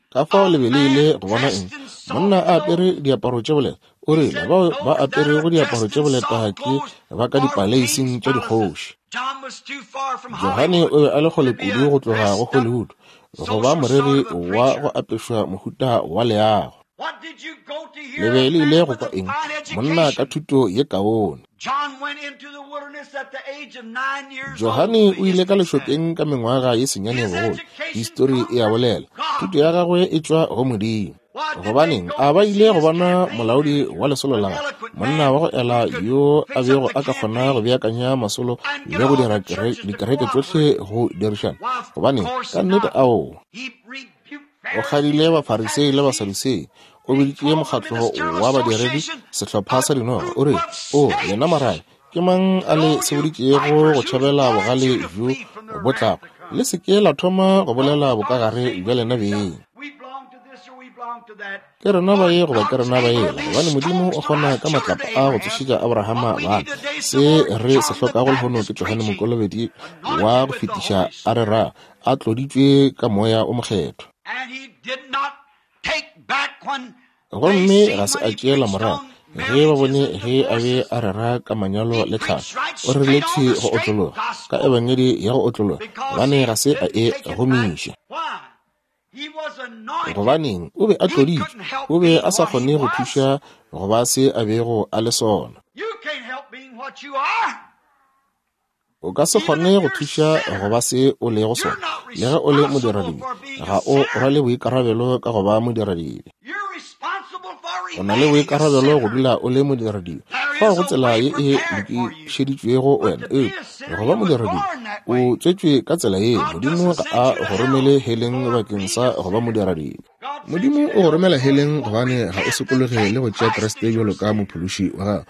Ka fao le be le ile go bona eng? Monna a apere diaparo tše boleta. O rile, Bao ba aperego diaparo tše boleta ke ba ka dipaleising tša dikgoši. Johane o be a le kgole kudu go tloga go Hollywood go ba moreri wa go apešwa mohuta wa leago. Le be le ile go kwa eng? Monna ka thuto ye kaone. Johane o ile ka lešokeng ka mengwaga ye senyane bogolo. Histori e a bolela. Thuto ya gagwe e tšwa go Modimo. Gobaneng a ba ile go bona molaodi wa lesolo la gagwe, monna wa go ela yo a bego a ka kgona go beakanya masolo le go dira dikereke tšohle go dirišana? Gobaneng, ka nnete aowa. O kgadile Bafarisei le Basadusei. O biditše mokgatlo wa badiredi sehlopha sa dinoga. O re, O lena marabe, ke mang a le seboditšego go tšhabela bogale bjo bo tlago? Le se ke la thoma go bolela bokagare bja lena beng. Ke rena ba ye goba ke rena ba yela, gobane Modimo o kgona ka matlapa a go tsošetša Abrahama bana. Se re se hlokago lehono ke Johane Mokolobedi wa go fetiša a rera a tloditšwe ka Moya o Mokgethwa. Gomme ga se a tšeela morago ge ba bone ge a be a rera ka manyalo le tlhalo. O rerile thwi go otlologa ka ebangedi ya go otlologa, gobane ga se a e gomiša. Gobaneng, o be a tloditšwe, o be a sa kgone go thuša go ba se a bego a le sona. O ka se kgone go thuša go ba se o lego sona, le ge o le modiradibe. Ga o rwale boikarabelo ka go ba modiradibe. O na le boikarabelo go dula o le modiradibe. Fao go tsela ye e lokišeditšwego wena, eupša go ba modiradibe, o tswetšwe ka tsela yeo. Modimo ga a go romele heleng bakeng sa go ba modiradibe. Modimo o go romela heleng gobane ga o sokologe le go tšea Kriste bjalo ka Mophološi wa gago.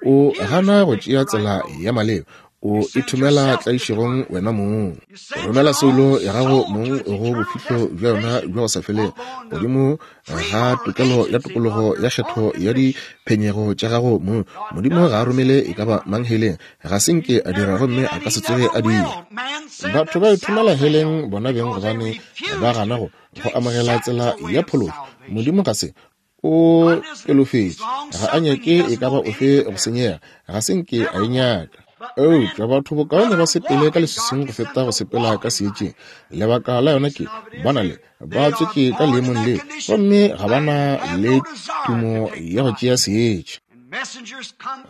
O gana go tšea tsela ya maleba. O ithomela tlaišegong wena mong. O romela soulo ya gago mong go bofihlo bja yona bja go sa felego, godimo ga tokelo ya tokologo ya kgetho ya diphenyego tša gago mong. Modimo ga a romele e ka ba mang heleng. Ga se nke a dira gomme a ka se tsoge a dira. Batho ba ithomela heleng bona beng gobane ba gana go go amogela tsela ya phološo. Modimo ga se o pelofetše, ga a nyake e ka ba ofe go senyega, ga se nke a e nyaka. Eupša batho bokaone ba sepele ka leswiswing go feta go sepela ka seetšeng. Lebaka la yona ke ba na le ba tswetše ka leemong leo, gomme ga ba na le tumo ya go tšea seetša.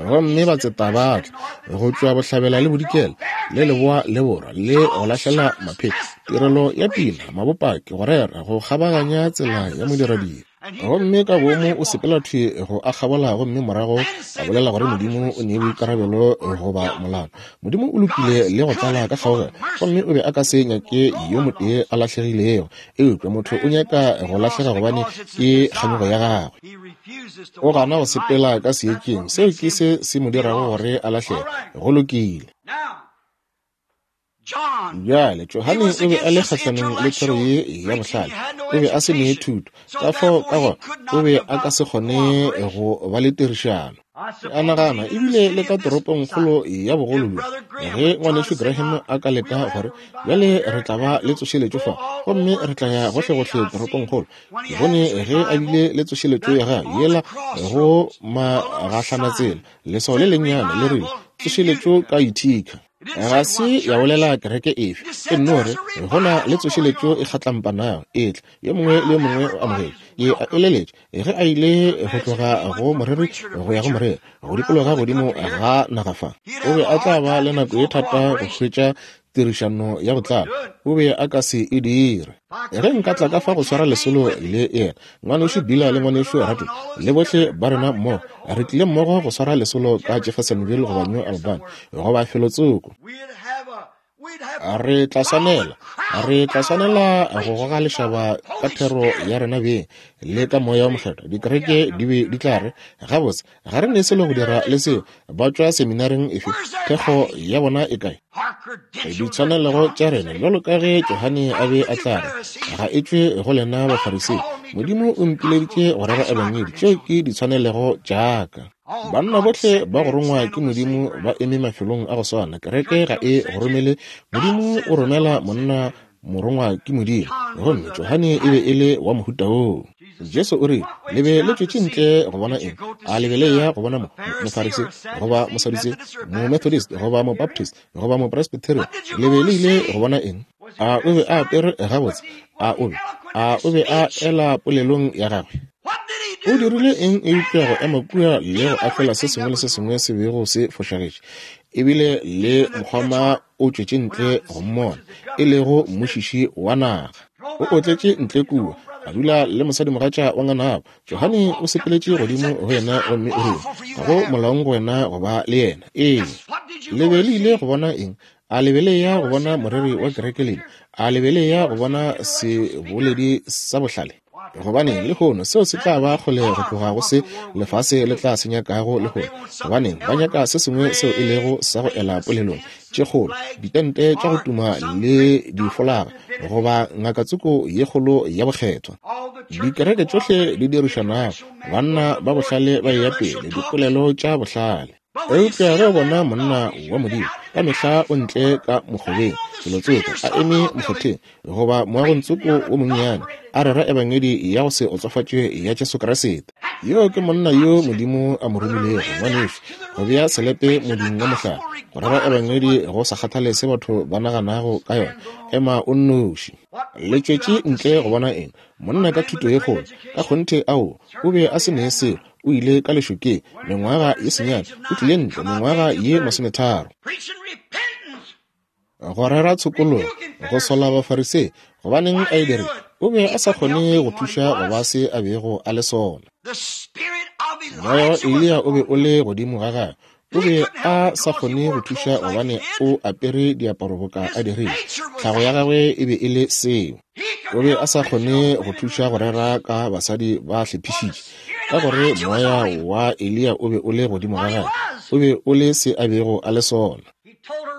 Gomme batseta ba tla go tšwa bohlabela le bodikela le leboa le borwa le go lahlela mapheko, tirelo ya pina, mabopaki, go rera, go kgabaganya tsela ya modiradibe. Gomme ka boomo o sepela thwi go a kgabola gomme morago a bolela gore Modimo o ne boikarabelo goba molato. Modimo o lokile le go tlala ka kgaogelo, gomme o be a ka se nyake yo motee a lahlegilego. Eupša motho o nyaka go lahlega gobane ke kganyogo ya gagwe. O gana go sepela ka seetšeng, seo ke se se mo dirago gore a lahlege. Go lokile. Bjale, Johane o be a le kgahlanong le thero ye ya bohlale. O be a se ne thuto, ka fao ka gona o be a ka se kgone go ba le tirišano. Ke a nagana ebile le ka toropongkgolo ya bogolo bjo, ge Ngwanešu Graham a ka leka gore bjale re tla ba le tsošeletšo fa, gomme re tla ya gohlegohle toropongkgolo. Ke bone ge a bile le tsošeletšo ya gagwe yela go magahlanatsela, leswao le lennyane le rile, Tsošeletšo ka Utica. Ga se ya bolela kereke efe, e nno re go na le tsošeletšo e kgatlampanago e tla, yo mongwe le yo mongwe o amogetše. Ke a eleletša ge a ile go tloga go moreri go ya go moreri, go dikologa godimo ga naga fa, o be a tla ba le nako e thata go hwetša tirišano ya go tlala. O be a ka se e dire. Ge nka tla ka fa go swara lesolo le yena, Ngwanešu Beeler le Ngwanešu Rato, le bohle ba rena mmogo, re tlile mmogo go swara lesolo ka Jeffersonville goba New Albany, goba felotsoko. Re tla swanela, re tla swanela go goga lešaba ka thero ya rena beng le ka Moya wo Mokgethwa. Dikereke di be di tla re, Gabotse, ga re ne selo go dira le seo. Ba tšwa seminaring efe? Thekgo ya bona e kae? Ditshwanelego tša rena, bjalo ka ge Johane a be a tla re, ga e tšwe go lena Bafarisei. Modimo o mpileditše go rera Ebangedi. Tšeo ke ditshwanelego tša ka. Banna bohle ba go rongwa ke Modimo ba eme mafelong a go swana. Kereke ga e go romele. Modimo o romela monna morongwa ke Modimo. Gomme Johane e be e le wa mohuta woo. Jesu o rile, Le be le tšwetše ntle go bona eng? A le be le eya go bona mo, Mofarisei, goba Mosadutsei, Momethodist, goba Mobaptist, goba Mopresbyterian? Le be le ile go bona eng? A o be a apere gabotse? A o be, a o be a ela polelong ya gagwe? O dirile eng eupša go ema kua le go ahlola se sengwe le se sengwe se bego se fošagetše? Ebile le mokgoma o tšwetše ntle go mmona, e lego mmušiši wa naga. O otletše ntle kua, a dula le mosadimogatša wa nganabo. Johane o sepeletše godimo go yena gomme o rile, Ga go molaong go wena go ba le yena. Ee. Le be le ile go bona eng? A le be le eya go bona moreri wa kereke lena? A le be le eya go bona seboledi sa bohlale? Gobaneng, lehono, seo se tla ba kgole go tloga go se lefase le tla se nyakago lehono. Gobaneng, ba nyaka se sengwe seo e lego sa go ela polelong, tše kgolo, ditente tša go tuma le difolaga, goba ngakatsoko ye kgolo ya bokgethwa. Dikereke tšohle di dirišanago, banna ba bohlale ba eya pele, dipolelo tša bohlale. Eupša ge o bona monna wa Modimo, ka mehla o ntle ka mokgobeng, felotsoko, a eme mokgotheng, goba moagongtsoko wo monnyane, a rera Ebangedi ya go se otsofatšwe ya Jesu Kriste. Yoo ke monna yo Modimo a mo romilego, ngwanešu, go bea selepe modung wa mohlare, go rera Ebangedi go sa kgathale se batho ba naganago ka yona. Ema o nnoši. Le tšwetše ntle go bona eng? Monna ka thuto ye kgolo? Ka kgonthe aowa, o be a se ne selo. O ile ka lešokeng mengwaga ye senyane, o tlile ntle mengwaga ye masometharo. Go rera tshokologo, go sola Bafarisei. Gobaneng a e dirile? O be a sa kgone go thuša go ba se a bego a le sona. Moya wa Eliya o be o le godimo ga gagwe. O be a sa kgone go thuša gobane o apere diaparo boka a dirile. Tlhago ya gagwe e be e le seo. O be a sa kgone go thuša go rera ka basadi ba hlephišitše, ka gore moya wa Eliya o be o le godimo ga gagwe. O be o le se a bego a le sona.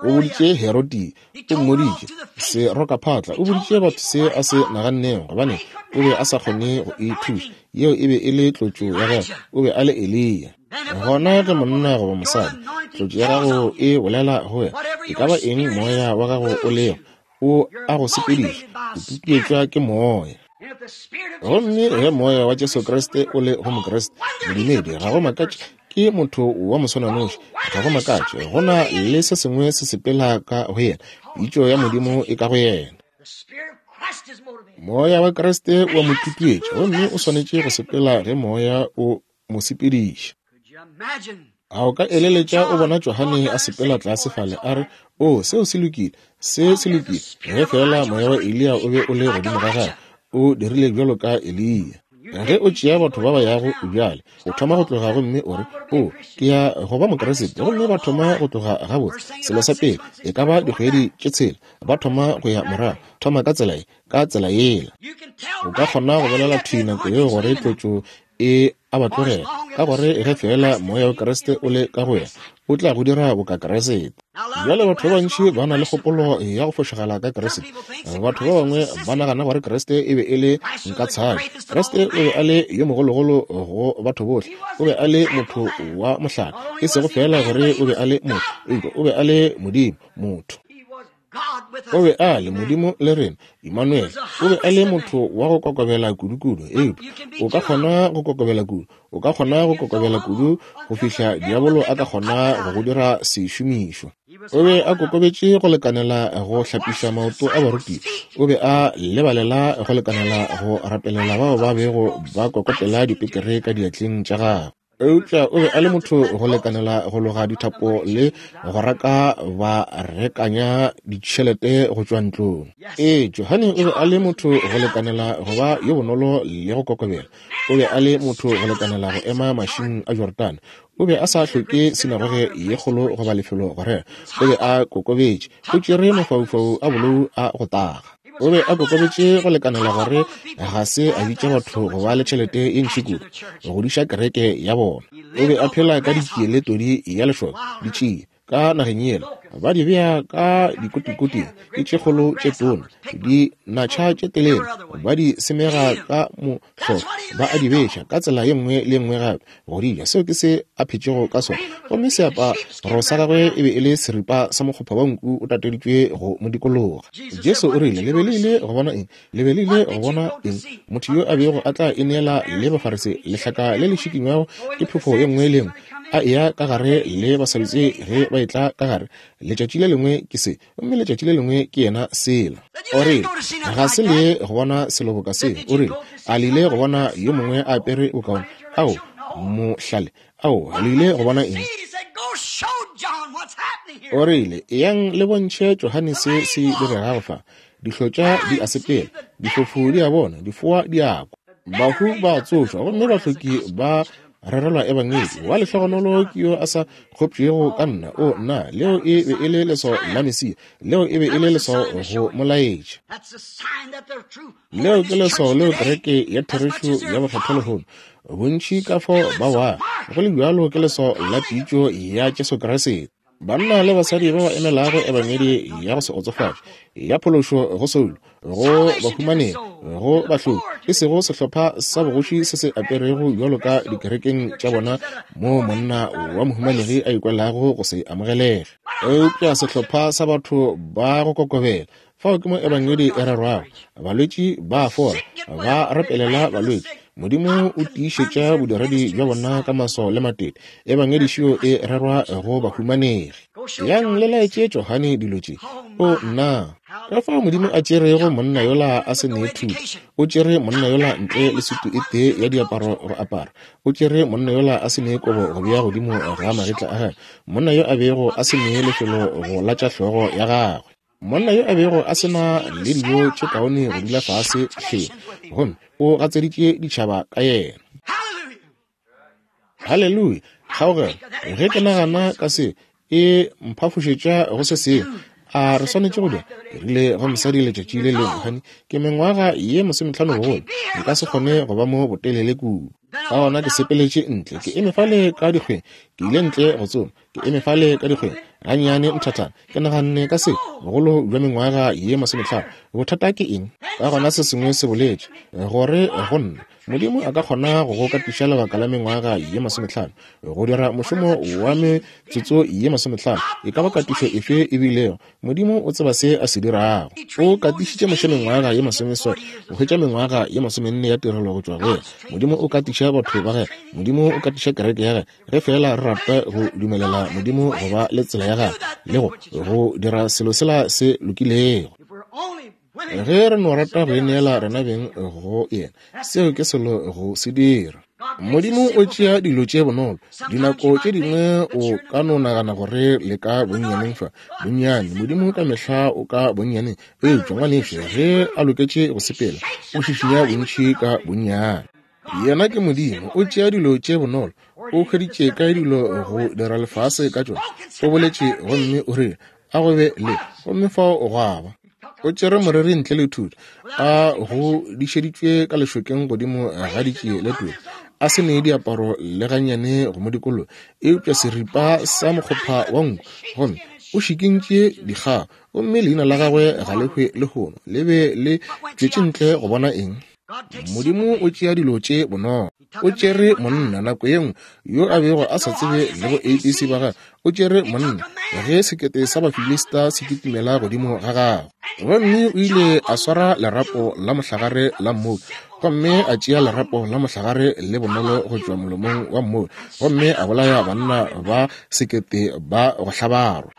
O boditše Herodi, o mmoditše, serokaphatla, o boditše batho se a se nagannego, gobane o be a sa kgone go e thuša. Yeo e be e le tlotšo ya gagwe. O be a le Eliya. Gona ge monna goba mosadi, tlotšo ya gago e bolela go wena, e ka ba eng moya wa gago o lego, o a go sepediša, o tutuetšwa ke moya. Gomme ge moya wa Jesu Kriste o le go Mokriste, modumedi, ga go makatše ke motho wa moswananoši, ga go makatše go na le se sengwe se sepela ka go yena, pitšo ya Modimo e ka go yena. Moya wa Kriste o a mo tutuetša, gomme o swanetše go sepela ge moya o mo sepediša. A o ka eleletša o bona Johane a sepela tlase fale, a re, O, seo se lokile, se se lokile, ge feela moya wa Eliya o be o le godimo ga gagwe, o dirile bjalo ka Eliya. Ge o tšea batho ba ba yago bjale, o thoma go tloga gomme o re, O, ke ya go ba Mokriste, gomme ba thoma go tloga gabotse. Selo sa pele, e ka ba dikgwedi tše tshela, ba thoma go ya morago, thoma ka tsela ye, ka tsela yela. O ka kgona go bolela thwi nako yeo gore tlotšo e a ba tlogela, ka gore ge feela moya wa Kriste o le ka go wena, o tla go dira boka Kriste. Bjale batho ba bantši ba na le kgopolo ya go fošagala ka Kriste. Batho ba bangwe ba nagana gore Kriste e be e le nka tshabe. Kriste o be a le yo mogologolo go batho bohle. O be a le motho wa mohlala, e sego feela gore o be a le motho, eupša o be a le Modimo, motho. O be a le Modimo le rena, Emmanuel. O be a le motho wa go kokobela kudu-kudu, eupša o ka kgona go kokobela kudu, o ka kgona go kokobela kudu go fihla diabolo a ka kgona go go dira sešomišwa. O be a kokobetše go lekanela go hlapiša maoto a barutiwa. O be a lebalela go lekanela go rapelela bao ba bego ba kokotela dipekere ka diatleng tša gagwe. Eupša o be a le motho go lekanela go loga dithapo le go raka ba rekanya ditšhelete go tšwa ntlong. Ee, Johane o be a le motho go lekanela go ba yo bonolo le go kokobela. O be a le motho go lekanela go ema mašing a Jorodane. O be a sa hloke sinagoge ye kgolo goba lefelo go rera. O be a kokobetše. O tšere mafaufau a bolou a go taga. O be a kokobetše go lekanela gore ga se a bitša batho go ba le tšhelete e ntši kudu go godiša kereke ya bona. O be a phela ka ditšie le todi ya lešoka, ditšie ka nageng yela, ba di bea ka dikotikoting, ke tše kgolo tše tona, dinatšha tše telele, ba di semega ka mohloka, ba a di beša ka tsela ye nngwe le ye nngwe gape go di ja. Seo ke se a phetšego ka sona. Gomme seaparo sa gagwe e be e le seripa sa mokgopha wa nku o tateditšwe go mo dikologa. Jesu o rile, Le be le ile go bona eng? Le be le ile go bona eng? Motho yo a bego a tla ineela le Bafarisi, lehlaka le le šikinywago ke phefo ye nngwe le ye nngwe, a eya ka gare le Basadutsei ge ba etla ka gare. Letšatši le lengwe ke se, gomme letšatši le lengwe ke yena sela. O rile, Ga se le go bona selo boka seo. O rile, A le ile go bona yo mongwe a apere bokaone? Ao, mohlale. Ao, le ile go bona eng? O rile, Eyang le bontšhe Johane se se diregago fa. Dihlotša di a sepela, difofu di a bona, difoa di a kwa, bahu ba a tsošwa, gomme bahloki ba rerelwa ebangedi. Wa lehlogonolo ke yo a sa kgopšego ka nna. O nna, leo e be e le leswao la Mesia. Leo e be e le leswao go molaetša. Leo ke leswao leo kereke ya therešo ya bokgethwa lehono, bontši ka fao ba wa, go le bjalo ke leswao la pitšo ya Jesu Kriste. Banna le basadi ba ba emelago ebangedi ya go se kgotsofatše ya phološo go soulo, go bahumanegi, go bahloki, e sego sehlopha sa bogoši se se aperego bjalo ka dikerekeng tša bona moo monna wa mohumanegi a ikwelago go se amogelege, eupša sehlopha sa batho ba go kokobela. Fao ke mo ebangedi e rerwago, balwetši ba a fola, ba rapelela balwetši. Modimo o tiišetša bodiredi bja bona ka maswao le matete. Ebangedi šio e rerwa go bahumanegi. Yang le laetše Johane dilo tše. O nna! Ka fao Modimo a tšerego monna yola a se ne thuto. O tšere monna yola ntle le sutu e tee ya diaparo go apara. O tšere monna yola a se ne kobo go bea godimo ga magetla a gagwe. Monna yo a bego a se ne lefelo go latša hlogo ya gagwe. Monna yo a bego a se na le dijo tše kaone go dula fase hleng, gomme o gatseditše ditšhaba ka yena. Haleluya! Kgaogelo, ge ke nagana ka se, e mphafošetša go se sengwe. A re swanetše go dira? Ke rile go mosadi letšatši le lengwe, Honey, ke mengwaga ye 50 bogolo, nka se kgone go ba mo botelele kudu. Ka gona ke sepeletše ntle, ke eme fale ka dikgweng, ke ile ntle go tsoma, ke eme fale ka dikgweng gannyane nthathana, ke naganne ka se, bogolo bja mengwaga ye 50, bothata ke eng? Ka gona se sengwe se boletše gore go nna, Modimo a ka kgona go go katiša lebaka la mengwaga ye 50 go dira mošomo wa metsotso ye 50, e ka ba katišo efe e bilego. Modimo o tseba se a se dirago. O katišitše Moshe mengwaga ye 60 go hwetša mengwaga ye 40 ya tirelo go tšwa go yena. Modimo o katiša batho ba gagwe. Modimo o katiša kereke ya gagwe. Ge feela re rata go dumelela Modimo go ba le tsela ya gagwe le go go dira selo sela se lokilego. Ge re no rata go ineela rena beng go yena, seo ke selo go se dira. Modimo o tšea dilo tše bonolo. Dinako tše dingwe o ka no nagana gore le ka bonnyaneng fa bonnyane. Modimo ka mehla o ka bonnyaneng, eupša ngwanešu ge a loketše go sepela, o šišinya bontši ka bonnyane. Yena ke Modimo, o tšea dilo tše bonolo. O hweditše kae dilo go dira lefase ka tšona? O boletše gomme o rile, a go be le, gomme fao gwa ba. O tšere moreri ntle le thuto, a godišeditšwe ka lešokeng godimo ga ditšie le tolo, a se ne diaparo le gannyane go mo dikologa, eupša seripa sa mokgopha wa nku, gomme o šikintše dikgao, gomme leina la gagwe ga le hwe lehono. Le be le tšwetše ntle go bona eng? Modimo o tšea dilo tše bonolo. O tšere monna nako ye nngwe yo a bego a sa tsebe le go ABC ba gagwe. O tšere monna ge sekete sa Bafilista se kitimela godimo ga gagwe. Gomme o ile a swara lerapo la mohlagare la mmou, gomme a tšea lerapo la mohlagare le bonolo go tšwa molomong wa mmou, gomme a bolaya banna ba sekete ba go hlabarwa.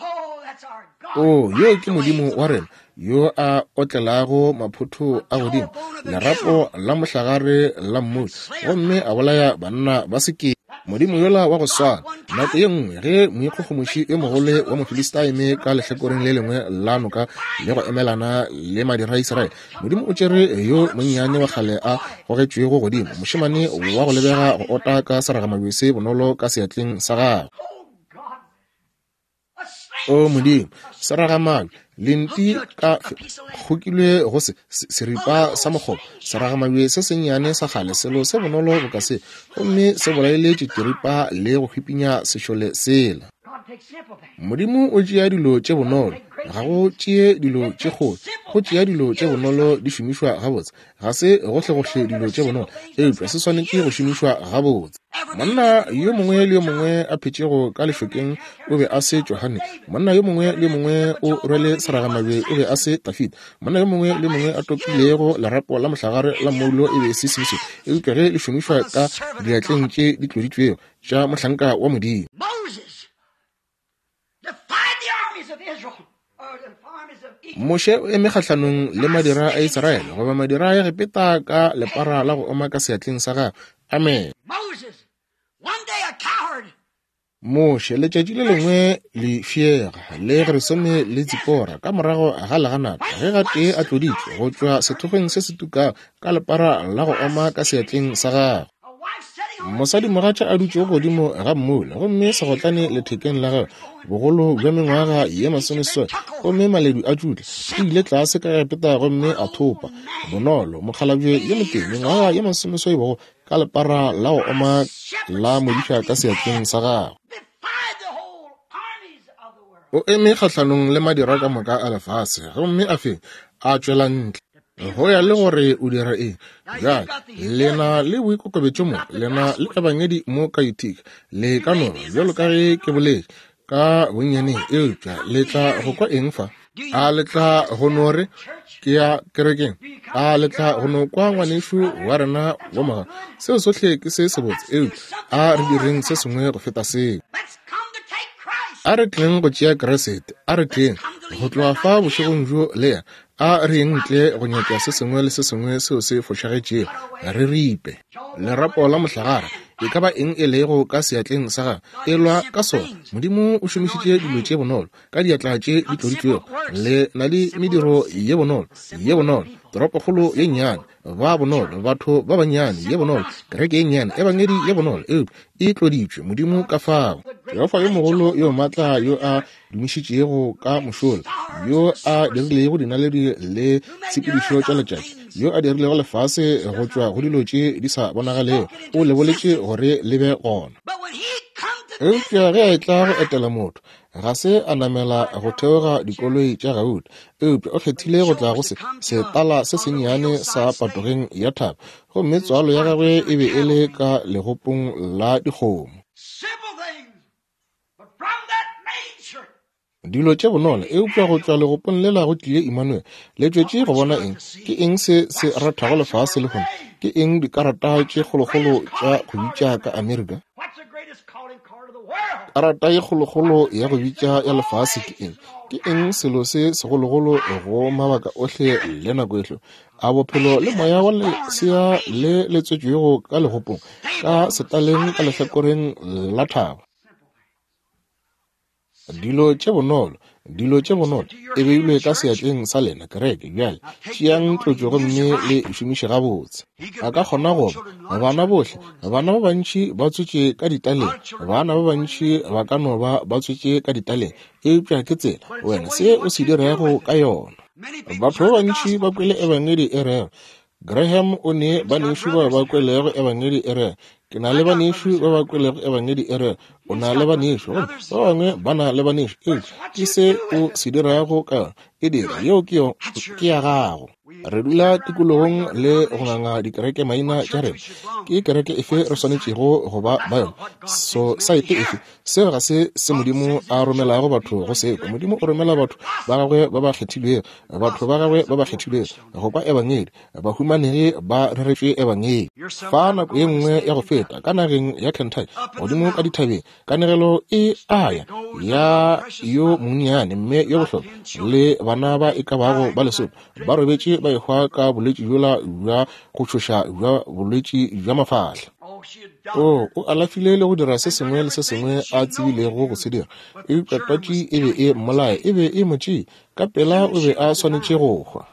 O, yo ke Modimo wa rena yo a otlelago maphotho a godimo, lerapo la mohlagare la mmoi, gomme a bolaya banna ba sekete. Modimo yola wa go swana, nako ye nngwe ge moikgogomoši yo mogolo wa Mofilista eme ka lehlakoreng le lengwe la noka le go emelana le madira a Israele, Modimo o tšere yo monnyane wa kgale a gogetšwego godimo, mošemane wa go lebega go ota ka seragamabje se bonolo ka seatleng sa gagwe. O Modimo, seragamabje, lenti ka kgokilwe go se, seripa sa mokgobo, seragamabje se sennyane sa kgale, selo se bonolo boka se, gomme se bolaile tšitširipa le go hwipinya sešole sela. Modimo o tšea dilo tše bonolo, ga go tšee dilo tše kgolo, go tšea dilo tše bonolo di šomišwa gabotse. Ga se gohlegohle dilo tše bonolo, eupša se swanetše go šomišwa gabotse. Monna yo mongwe le yo mongwe a phetšego ka lešokeng o be a se Johane. Monna yo mongwe le yo mongwe o rwele seragamabje o be a se Dafida. Monna yo mongwe le yo mongwe a topilego lerapo la mohlagare la mmoulo e be e se Simsone, eupša ge le šomišwa ka diatleng tše di tloditšwego tša mohlanka wa Modimo. Moshe o eme kgahlanong le madira a Israele goba madira a Egepeta ka lepara la go oma ka seatleng sa gagwe. Amen. Moshe letšatši le lengwe lefšega le Gerisome le Tsipora ka morago ga leganata ge gatee a tloditšwe go tšwa sethokgweng se se tukago ka lepara la go oma ka seatleng sa gagwe. Mosadimogatša a dutšego godimo ga mmula, gomme segotlane lethekeng la gagwe, bogolo bja mengwaga ye masomeseswai, gomme maledu a tšutla, o ile tlase ka Egepeta gomme a thopa, bonolo, mokgalabje yo motee, mengwaga ye masomeseswai bogolo, ka lepara la go oma la modiša ka seatleng sa gagwe. O eme kgahlanong le madira ka moka a lefase, gomme a fenya, a tšwela ntle. Go ya le gore o dira eng. Bjale, le na le boikokobetšo mo, le na le ebangedi mo ka Utica, le ka no ba, bjalo ka ge ke boletše, ka bonnyaneng, eupša le tla go kwa eng fa? A le tla go no re, Ke ya kerekeng? A le tla go no kwa ngwanešu wa rena wa moga? Seo sohle ke se sebotse, eupša a re direng se sengwe go feta seo. A re tleng go tšea Kriste, a re tleng go tloga fa bošegong bjo le yena. A re yeng ntle go nyaka se sengwe le se sengwe seo se fošagetšego, re ripe lerapo la mohlagare, e ka ba eng e lego ka seatleng sa gagwe, e lwa ka sona. Modimo o šomišitše dilo tše bonolo ka diatla tše di tloditšwego. Le na le mediro ye bonolo, ye bonolo. Toropokgolo ye nnyane, ba bonolo, batho ba bannyane, ye bonolo, kereke ye nnyane, ebangedi ye bonolo, eupša e tloditšwe, Modimo ka fao. Jehofa yo mogolo yo maatla yo a dumišitšego ka mošola, yo a dirilego dinaledi le tshepedišo tša letšatši, yo a dirilego lefase go tšwa go dilo tše di sa bonagalego, o le boletše gore le be gona. Eupša ge a etla go etela motho, ga se a namela go theoga dikoloi tša gauta, eupša o kgethile go tla go se setala se sennyane sa patogeng ya thaba, gomme tswalo ya gagwe e be e le ka legopong la dikgomo. Dilo tše bonolo, eupša go tšwa legopong lela go tlile Immanuel. Le tšwetše go bona eng? Ke eng se se rathago lefase lehono? Ke eng dikarata tše kgolokgolo tša go bitša ka Amerika? Karata ye kgolokgolo ya go bitša ya lefase ke eng? Ke eng selo se segologolo go mabaka ohle le nako ehle? A bophelo le moya wa lesea le le tswetšwego ka legopong, ka setaleng ka lehlakoreng la thaba. Dilo tše bonolo, dilo tše bonolo, e beilwe ka seatleng sa lena, kereke. Bjale tšeang tlotšo gomme le e šomiše gabotse. A ka kgona go ba bana bohle, bana ba bantši ba tswetše ka ditaleng, bana ba bantši ba ka no ba ba tswetše ka ditaleng, eupša ke tsela wena se o se dirago ka yona. Batho ba bantši ba kwele ebangedi e rego, Graham o ne banešu ba ba kwelego ebangedi e rego, ke na le banešu ba ba kwelego ebangedi e rego, o na le banešu, gomme ba bangwe ba na le banešu, eupša ke se o se dirago ka yona, e dira, yeo ke yo, ke ya gago. Re dula tikologong le go nganga dikereke maina tša rena. Ke kereke efe re swanetšego go ba ba yona? Sosaete efe? Seo ga se se Modimo a romelago batho go se kwa. Modimo o romela batho ba gagwe ba ba kgethilwego, batho ba gagwe ba ba kgethilwego go kwa ebangedi, bahumanegi ba reretšwe ebangedi. Fa nako ye nngwe ya go feta ka nageng ya Kentucky, godimo ka dithabeng, kanegelo e a ya ya yo monnyane mme yo bohlokwa le bana ba e ka bago ba lesome ba robetše ba ehwa ka bolwetši bjola bja go tšhoša bja bolwetši bja mafahla. O, o alafile le go dira se sengwe le se sengwe a tsebilego go se dira, eupša twatši e be e mmolaya, e be e mo tšea. Ka pela o be a swanetše go hwa.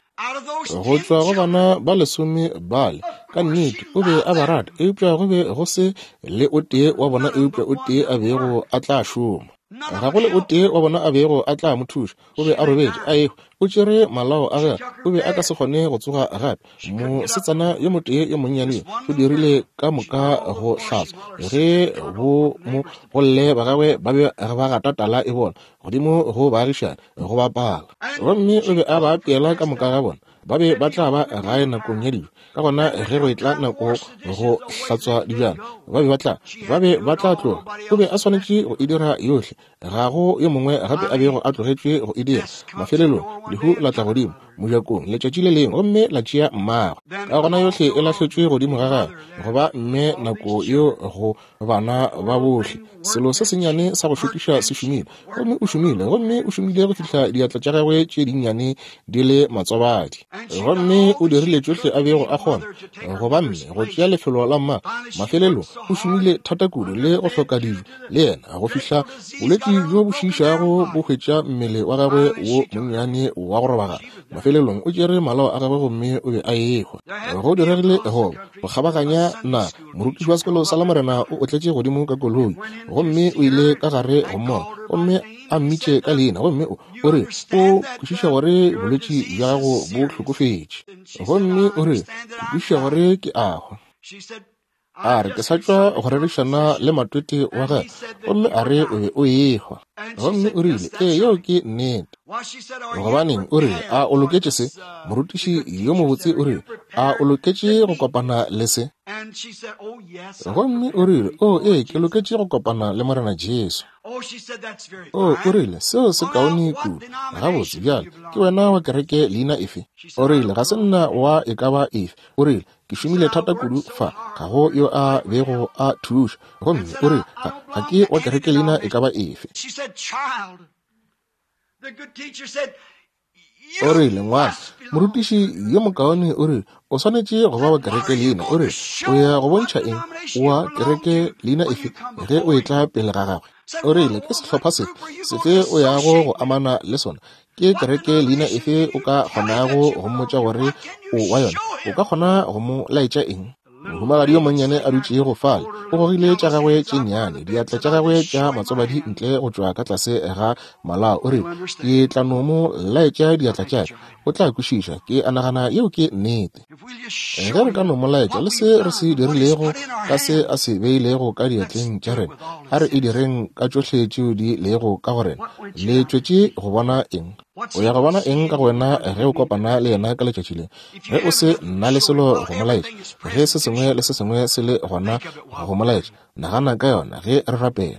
Go tšwa go bana ba lesome bale, ka nnete o be a ba rata, eupša go be go se le o tee wa bona eupša o tee a bego a tla šoma. Ga go le o tee wa bona a bego a tla mo thuša. O be a robetše a ehwa, o tšere malao a gagwe, o be a ka se kgone go tsoga gape. Mosetsana yo motee yo monnyane yo o dirile ka moka go hlatswa ge bo mo golle ba gagwe ba be ba gata tala e bona godimo go baagišane go bapala, gomme o be a ba apeela ka moka ga bona. Ba be ba tla ba gae nakong ya dijo, ka gona ge go etla nako go hlatswa dibjana ba be ba tla ba be ba tla tloga. O be a swanetše go e dira yohle, ga go yo mongwe gape a bego a tlogetšwe go e dira. Mafelelong lehu la tla godimo mojakong letšatši le lengwe gomme la tšea mmagwe. Ka gona yohle e lahletšwe godimo ga gagwe go ba mme nako yeo go bana ba bohle. Selo se sennyane sa go šokiša se šomile, gomme o šomile, gomme o šomile go fihla diatla tša gagwe tše dinnyane di le matswabadi. Gomme o dirile tšohle a bego a kgona go ba mme, go tšea lefelo la mma. Mafelelong o šomile thata kudu le go hloka dijo le yena go fihla bolwetši bjo bo šiišago bo hwetša mmele wa gagwe wo monnyane wa go robagana. Mafelelong o tšere malao a gagwe gomme o be a ehwa. Go diregile go go kgabaganya na morutiši wa sekolo sa Lamorena o otletše godimo ka koloi gomme o ile ka gare go mmona gomme a mmitše ka leina gomme o o re o kwešiša gore bolwetši bja gago bo hlokofetše gomme o re ke kwešiša gore ke a hwa. A re ke sa tšwa go rerišana le matwete wa gagwe gomme a re o be o ehwa gomme o rile ee yeo ke nnete. Gobaneng, o rile, a o loketše se? Morutiši yo mobotse o rile, a o loketše go kopana le se? Gomme o rile, o ee, ke loketše go kopana le Morena Jesu. O, o rile, seo se kaone kudu. Gabotse, bjale, ke wena wa kereke leina efe? O rile, ga se nna wa e ka ba efe. O rile, ke šomile thata kudu fa, ga go yo a bego a thuša. Gomme o rile, ga, ga ke wa kereke leina e ka ba efe. O rile, Ngwana, morutiši yo mokaone o rile, o swanetše go ba wa kereke leina. O rile, o ya go bontšha eng? Wa kereke leina efe ge o etla pele ga gagwe? O rile, ke sehlopha sefe sefe o yago go amana le sona? Ke kereke leina efe o ka kgonago go mmotša gore o wa yona, o ka kgona go mo laetša eng? Mohumagadi yo monnyane a dutšego fale, o gogile tša gagwe tše nnyane, diatla tša gagwe tša matsobadi ntle go tšwa ka tlase ga malao, o rile, Ke tla no mo laetša diatla tša ka, o tla kwešiša. Ke a nagana yeo ke nnete. Ge re ka no mo laetša le se re se dirilego ka se a se beilego ka diatleng tša rena, a re e direng ka tšohle tšeo di lego ka go rena. Le tšwetše go bona eng? O ya go bona eng ka go wena ge o kopana le yena ka letšatši le? Ge o se na le selo go mo laetša, ge se sengwe le se sengwe se le gona go mo laetša, nagana ka yona ge re rapela.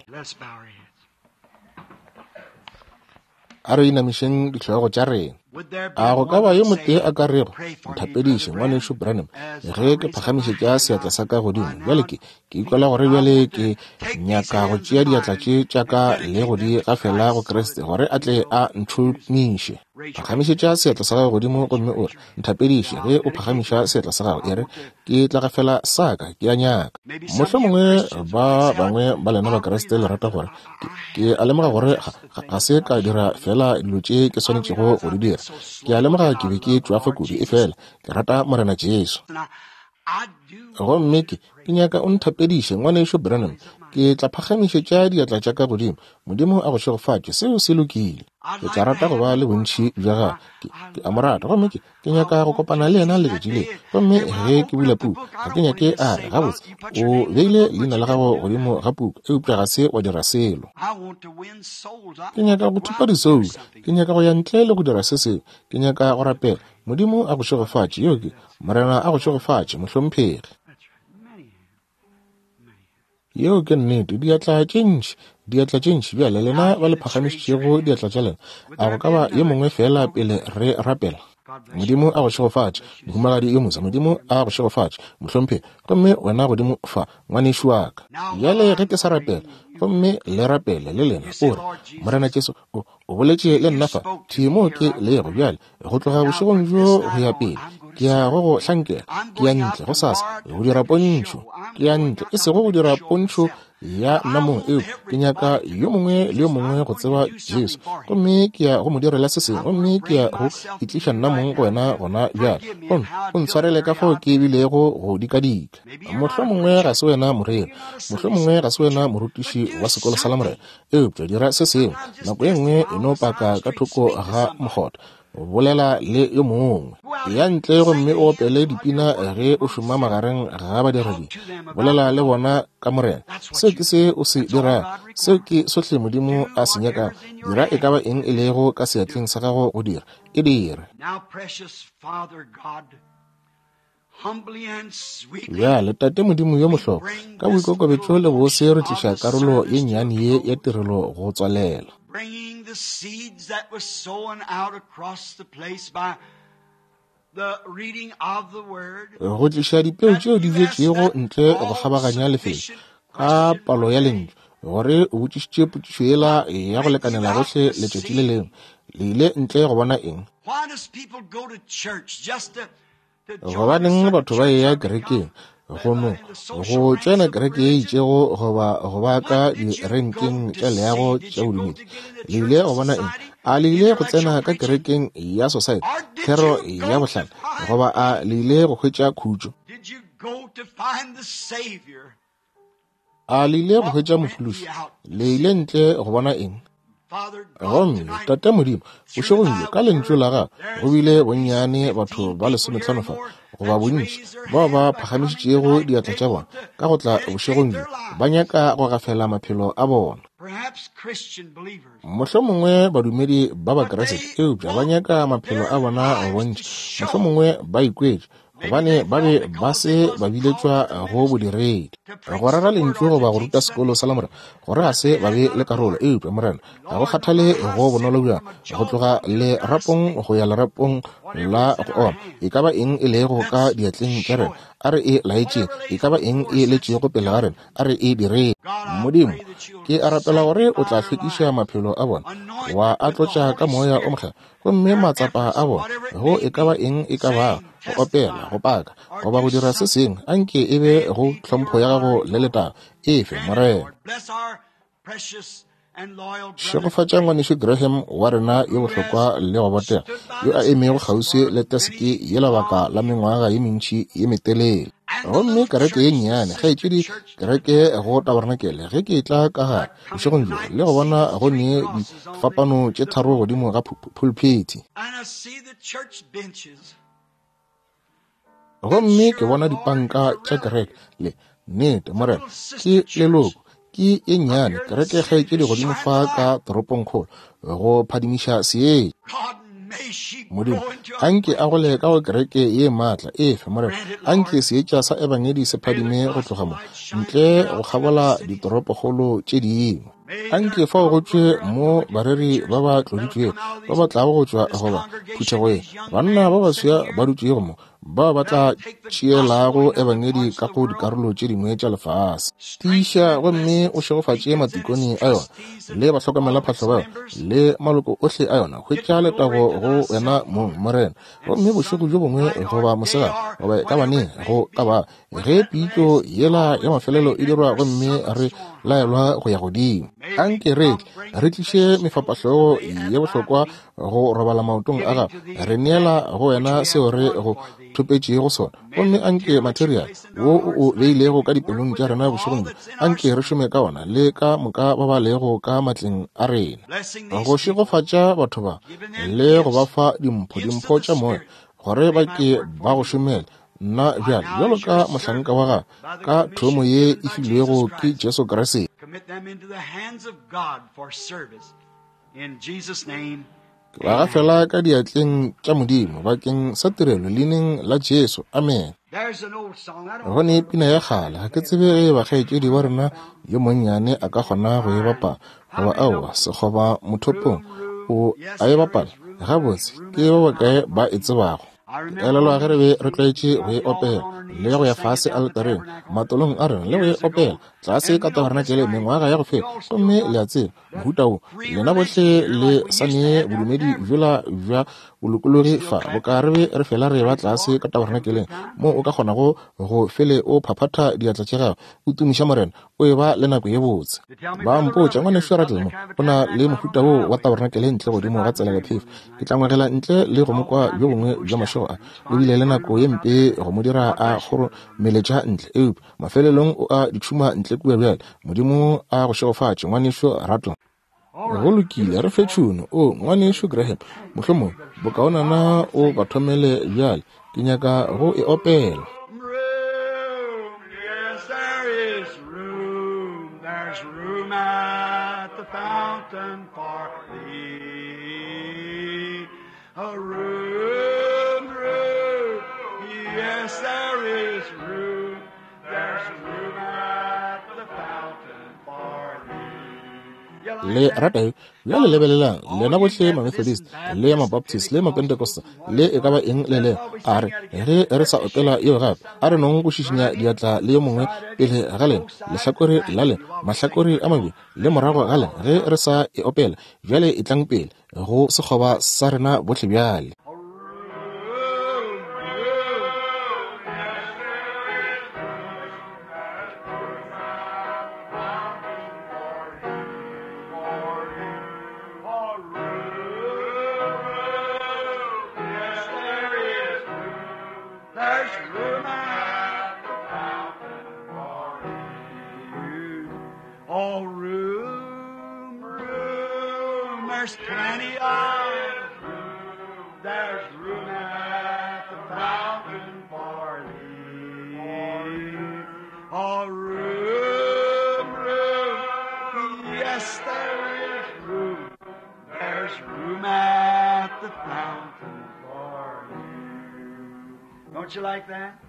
A re inamišeng dihlogo tša rena. A go ka ba yo motee a ka rego, Nthapediše, Ngwanešu Branham, ge ke phagamišetša seatla sa ka godimo. Bjale ke, ke ikwela gore bjale ke nyaka go tšea diatla tše tša ka le go di gafela go Kriste, gore a tle a ntšhomiše. Phagamišetša seatla sa gago godimo gomme o re, Nthapediše. Ge o phagamiša seatla sa gago, e re, Ke tla gafela sa ka, ke a nyaka. Mohlomongwe ba bangwe ba lena Bakriste le rata gore, Ke, ke a lemoga gore ga, ga se ka dira feela dilo tše ke swanetšego go di dira. Ke a lemoga ke be ke tšwafa kudu, efela ke rata Morena Jesu. Gomme ke, ke nyaka o nthapediše, Ngwanešu Branham. Ke tla phagamišetša diatla tša ka godimo. Modimo a go šegofatše. Seo se lokile. Ke tla rata go ba le bontši bja gagwe. Ke, ke a mo rata. Gomme ke, ke nyaka go kopana le yena letšatši le. Gomme ge ke bula puku, ga ke nyake a re, Gabotse, o beile leina la gago godimo ga puku, eupša ga se wa dira selo. Ke nyaka go thupa disoulo. Ke nyaka go ya ntle le go dira se sengwe. Ke nyaka go rapela. Modimo a go šegofatše. Yeo ke, Morena a go šegofatše, mohlomphegi. Yeo ke nnete. Diatla tše ntši, diatla tše ntši. Bjale, lena ba le phagamišitšego diatla tša lena, a go ka ba yo mongwe feela pele re rapela? Modimo a go šegofatše, mohumagadi yo moswa. Modimo a go šegofatše, mohlomphegi. Gomme wena godimo fa, ngwanešu wa ka. Bjale ge ke sa rapela, gomme le rapele le lena, o re, Morena Jesu, o, o boletše le nna fa, thwi moo ke lego bjale, go tloga bošegong bjo go ya pele, ke ya go go hlankela. Ke ya ntle gosasa go dira pontšho. Ke ya ntle, e sego go dira pontšho ya nna mong, eupša ke nyaka yo mongwe le yo mongwe go tseba Jesu. Gomme ke ya go mo direla se sengwe, gomme ke ya go itliša nna mong go wena gona bjale. Gomme o ntshwarele ka fao ke bilego go dikadika. Mohlomongwe ga se wena moreri, mohlomongwe ga se wena morutiši wa sekolo sa Lamorena, Eupša dira se sengwe, nako ye nngwe e no paka ka thoko ga mokgotha, bolela le yo mongwe. Ya ntle gomme o opele dipina ge o šoma magareng ga badiredi. Bolela le bona ka Morena. Seo ke se o se dirago. Seo ke sohle Modimo a se nyakago. Dira e ka ba eng e lego ka seatleng sa gago go dira. E dire. Bjale, Tate Modimo yo mohlokwa, ka boikokobetšo le bose re tliša karolo ye nnyane ye ya tirelo go tswalela. Go tliša dipeu tšeo di bjetšego ntle go kgabaganya lefelo ka palo ya lentšu, gore o botšišitše potšišo yela ya go lekanela gohle letšatši le lengwe, le ile ntle go bona eng? Gobaneng batho ba eya kerekeng? Go no go tšena kereke ye itšego goba go ba ka direnkeng tša leago tša bodumedi. Le ile go bona eng? A le ile go tsena ka kerekeng ya society, thero ya bohlale, goba a le ile go hwetša khutšo? A le ile go hwetša Mophološi? Le ile ntle go bona eng? Gomme, Tate Modimo, bošegong bjo, ka Lentšu la Gago, go bile bonnyane batho ba lesometlhano fa, goba bontši, bao ba phagamišitšego diatla tša bona, ka go tla bošegong bjo, ba nyaka go gafela maphelo a bona. Mohlomongwe badumedi ba Bakriste, eupša ba nyaka maphelo a bona go bontšha, mohlomongwe ba ikwetše gobane ba be ba se ba biletšwa go bodiredi, go rera lentšu goba go ruta sekolo sa Lamorena, gore ga se ba be le karolo. Eupša, Morena, ga go kgathale go bonolo bjang, go tloga lerapong go ya lerapong la go oma, e ka ba eng e lego ka diatleng tša rena, a re e laetšeng, e ka ba eng e letšego pele ga rena, a re e direng. Modimo, ke a rapela gore o tla hlwekiša maphelo a bona, wa a tlotša ka Moya o Mokgethwa, gomme matsapa a bona, go e ka ba eng e ka bago, go opela, go paka, goba go dira se sengwe, a nke e be go tlhompho ya gago le letago. Efe, Morena. Šegofatša Ngwanešu Graham wa rena yo bohlokwa le go botega, yo a emego kgauswi le teseke ye lebaka la mengwaga ye mentši ye metelele. Gomme kereke ye nnyane, kgaetšedi, kereke go tabarenakele, ge ke etla ka gare bošegong bjo le go bona go ne difapano tše tharo godimo ga phulphithi, gomme ke bona dipanka tša kereke, le nnete, Morena, ke leloko, ke ye nnyane kereke, kgaetšedi, godimo fa ka toropongkgolo, go phadimiša seetša. Modimo, anke a gole ka go kereke ye maatla efe, Morena, anke seetša sa Ebangedi se phadime go tloga mo, ntle go kgabola ditoropokgolo tše dingwe. Anke fao go tšwe mo bareri ba ba tloditšwego ba ba tlago go tšwa goba phuthego ye, banna ba baswa ba dutšego mo, bao ba tla tšeelago Ebangedi ka go dikarolo tše dingwe tša lefase. Tiiša gomme o šegofatše matikone a yona, le bahlokomelaphahlo ba yona, le maloko ohle a yona. Hwetša letago go wena mong, Morena. Gomme bošego bjo bongwe goba mosegare, goba e ka ba neng go ka ba, ge pitšo yela ya mafelelo e dirwa gomme re laelwa go ya godimo, anke re tle re tliše mefapahlogo ye bohlokwa go robala maotong a gago, re neela go wena seo re go thopetšego sona. Gomme anke material wo o o beilego ka dipelong tša rena bošegong bjo, anke re šome ka ona le ka moka ba ba lego ka matleng a rena, go šegofatša batho ba le go ba fa dimpho, dimpho tša moya, gore ba ke ba go šomele. Nna bjale, bjalo ka mohlanka wa gago, ka thomo ye e filwego ke Jesu Kriste, ke ba gafela ka diatleng tša Modimo bakeng sa tirelo leineng la Jesu. Amen. Go ne pina ya kgale, ga ke tsebe ge e ba kgaetšedi wa rena yo monnyane a ka kgona go e bapala goba aowa, sekgoba mothopong o a e bapala. Gabotse, ke ba bakae ba e tsebago? Ke elelwa ge re be re tlwaetše go e opela le go ya fase aletareng matolong a rena le go e opela tlase ka tabarenakele mengwaga ya go feta. Gomme le a tseba mohuta wo, lena bohle le sa ne bodumedi bjola bja bolokologi fa, boka re be re fela re ba tlase ka tabarenakeleng moo o ka kgonago go fele o phaphatha diatla tša gago o tumiša Morena, o eba le nako ye botse. Ba mpotša, Ngwanešu Rattle mo, o na le mohuta wo wa tabarenakele ntle godimo ga tsela ya phefo. Ke tla ngwegela ntle le go mo kwa bjo bongwe bja mašego a. O bile le nako ye mpe go mo dira a kgoromeletša ntle, eupša mafelelong o a di tšhuma ntle kua bjale. Modimo a go šegofatše, Ngwanešu Rattle. Go lokile, re fe tšhuno. O, Ngwanešu Graham, mohlomongwe bokaonana o ba thomele bjale. Ke nyaka go e opela. Room, yes, there is room. There's room at the fountain for thee. A room, room, yes, there is room. There's room at the fountain for thee. You like Le that? rata yo? Bjale lebelelang, lena bohle Mamethodist, le Mabaptist, le Mapentecostal, le e ka ba eng le lego, a re, ge re sa opela yeo gape, a re nong go šišinya diatla le yo mongwe pele ga lena, lehlakore la lena, mahlakore a mabedi, le morago ga lena, ge re sa e opela. Bjale etlang pele go sekgoba sa rena bohle bjale. Room, room, yes, there is room. There's room at the fountain for thee, for you. Oh, room, room, yes, there is room. There's room at the fountain for you. Oh, room, room, there's plenty of room. There's room at the fountain for thee. Oh, room, room, yes, there is room. There's room at the fountain for you. Don't you like that?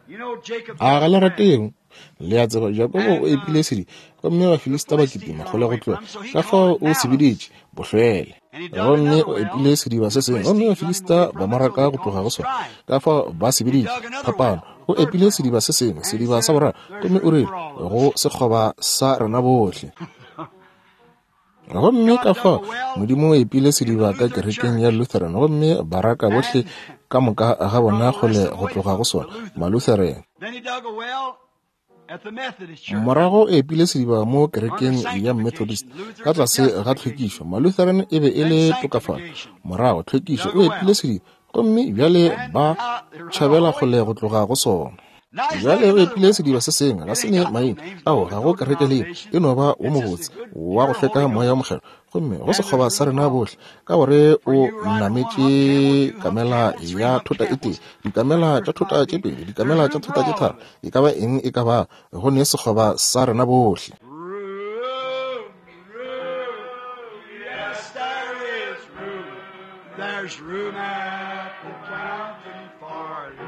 You know, Jacob. A ga le rate yeo? Le a tseba, Jakobo o epile sediba, gomme Bafilista ba kitima kgole go tloga. Ka fao o se biditše bohlwele. Gomme o epile sediba se sengwe, gomme Bafilista ba mo raka go tloga go sona. Ka fao ba se biditše phapano. O epile sediba se sengwe, sediba sa boraro, gomme o rile go sekgoba sa rena bohle. Gomme ka fao Modimo o epile sediba ka kerekeng ya Lutheran, gomme ba raka bohle ka moka ga bona kgole go tloga go sona, Malutheran. Then he dug a well, Morago o epile sediba mo kerekeng ya Methodist ka tlase ga tlhwekišo. Malutheran e be e le tokafalo. Morago tlhwekišo, o epile sediba, gomme bjale ba tšhabela kgole go tloga go sona. Bjale o epile sediba se sengwe, ga se ne maina ao, ga go kereke le e no ba wo mobotse wa go hlweka moya wa mokgethwa, gomme go sekgoba sa rena bohle, ka gore o nametše kamela ya thota e tee, dikamela tša thota tše pedi, dikamela tša thota tše tharo, e ka ba eng e ka ba, go ne sekgoba sa rena bohle. Yes, there is room. There's room at the fountain for you.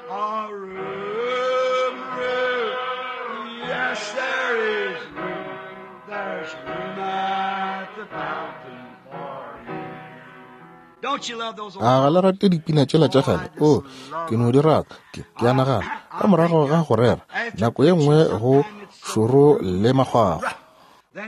Oh, room, room. Yes, there is room. There's room at the fountain for you. Don't you love those old A ga le rate dipina tšela tša kgale? O, ke no di rata. Ke, ke a nagana, ka morago ga go rera, nako ye nngwe go šoro le makgwakgwa.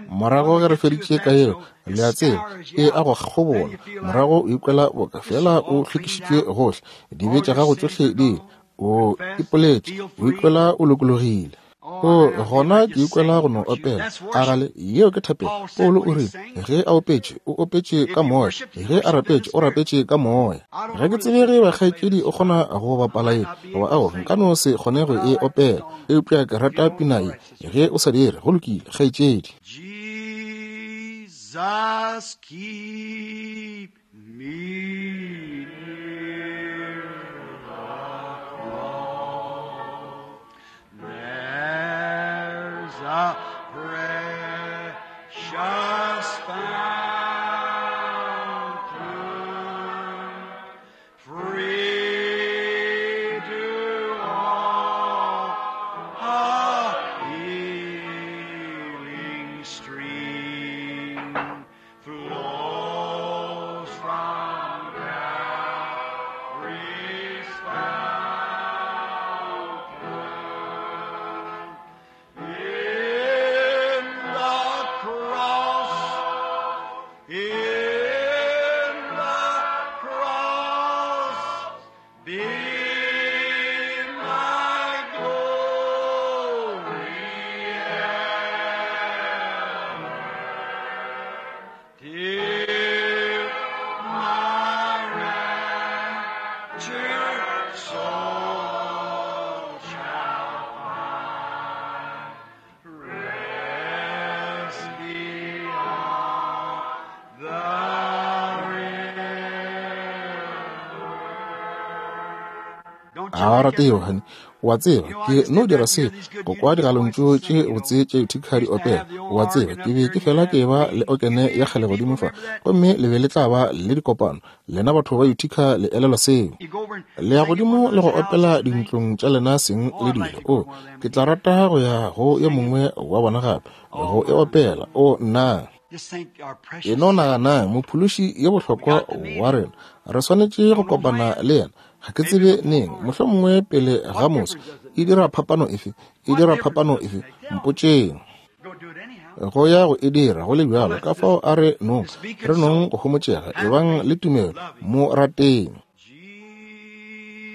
Morago ge re feditše ka yeo, le a tseba, e a go kgobola. Morago o ikwela boka fela o hlwekišitšwe gohle, dibe tša gago tšohle di ile, o ipoletše, o ikwela o lokologile. O, gona ke ikwela go no opela. A gale, yeo ke thapelo. Paulo o rile, ge a opetše, o opetše ka moya. Ge a rapetše, o rapetše ka moya. Ga ke tsebe ge bakgaetšedi o kgona go bapala ye, goba ao, nka no se kgone go e opela, eupša ke rata pina ye. Ge o sa dire, go lokile, kgaetšedi. Jesus, keep me near the cross. There's a precious fountain, free to all, a healing stream flows from Calvary's fountain. In the cross, in the cross, be my glory ever, till my raptured soul shall find rest beyond the river. Don't A ga o rate yeo, honey? O a tseba, ke no dira se go kwa digalong tše botse tša Utica di opela. O a tseba, ke be ke fela ke ba le okene ya kgale godimo fa, gomme le be le tla ba le dikopano. Lena batho ba Utica le elelwa seo. You go over and Le ya sing in one godimo of le go those houses opela and things. dintlong tša lena seng Oh, le I'd like dilo. to go O, to one of them ke tla and rata go ya go yo sing it. mongwe wa bona gape, Oh go e my. opela. O, nna. Just think our E precious no Savior. nagana, Mophološi yo We bohlokwa got to meet wa him. rena. Re swanetše go Don't know kopana when. le yena. Ga ke Maybe tsebe before neng, morning. mohlomongwe pele ga What moso. difference does it E make? dira phapano efe? E What dira difference phapano does it efe? make? Tell me. Mpotšeng. Go do it anyhow. Go ya go e dira go le So bjalo. let's Ka just fao a re nong, just be re nong consoled. go homotšega. Have Ebang faith. le tumelo, Love him. mo rateng.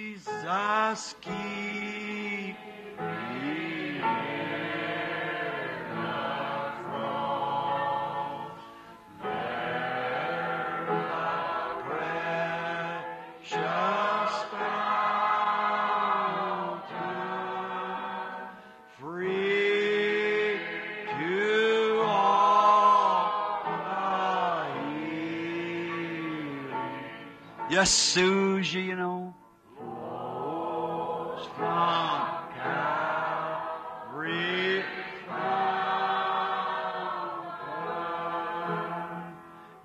Jesus, keep me near the cross. There the precious fountain, free to all a healing. Yes, Susie, you know, flows from Calvary fountain.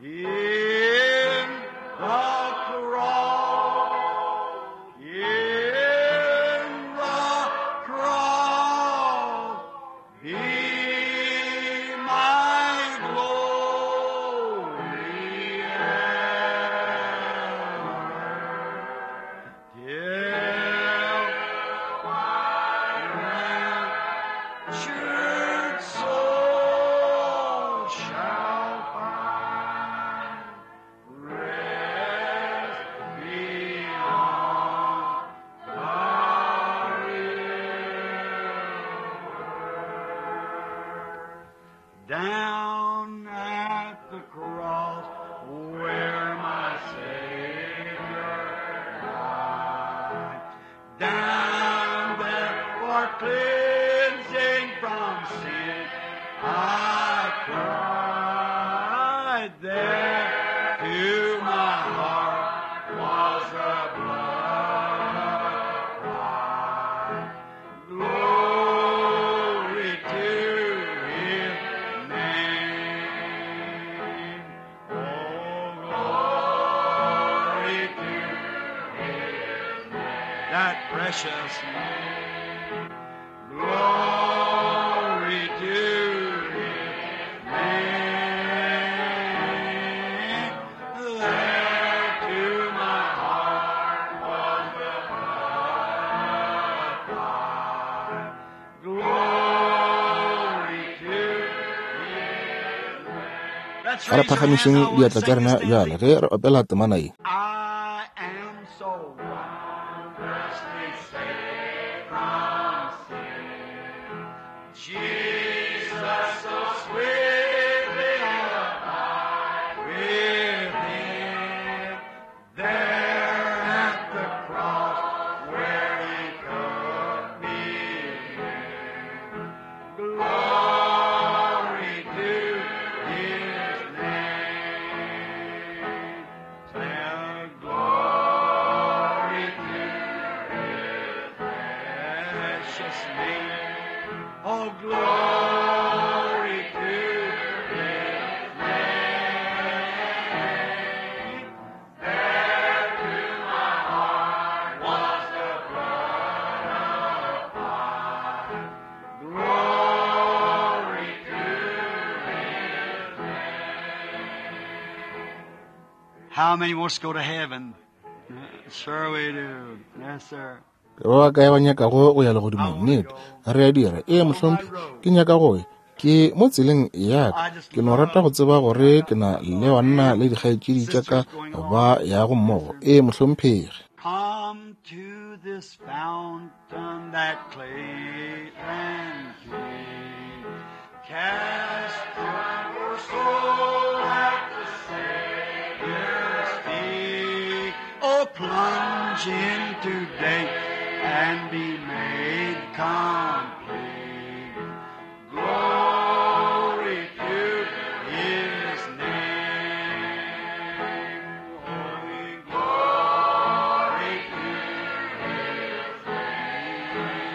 In the cross, in the cross, be my glory ever, till my Down at the cross where my Savior died. Down there for cleansing from sin I cried. There to my heart was the blood applied. Glory to His name. Oh, glory to His name. That precious name. Glory to His name. There to my heart was the blood applied. Glory to His name. Let's A re raise your hands. phagamišeng I want to diatla tša sing rena this bjale anthem. ge re opela temana ye. I am so wondrously saved from sin. Jesus so sweetly abide with him. There at the cross where he took me in. Glory to his name. Say, glory to his precious name. Oh, glory to his name. There to my heart was the blood applied. Glory to his name. How many wants to go to heaven? Sure we do. Yes, sir. Ke ba bakae ba nyakago go ya legodimong? Nnete, re a dira. Ee, mohlomphegi, ke nyaka go ya. Ke mo tseleng ya ka. Ke no rata go tseba gore ke na le banna le dikgaetšedi tša ka ba yago mmogo. Ee, mohlomphegi. Come to this fountain that clean and clean. Cast your soul at the Savior's feet. Oh, plunge in today and be made complete. Glory to His name. Holy glory to His name.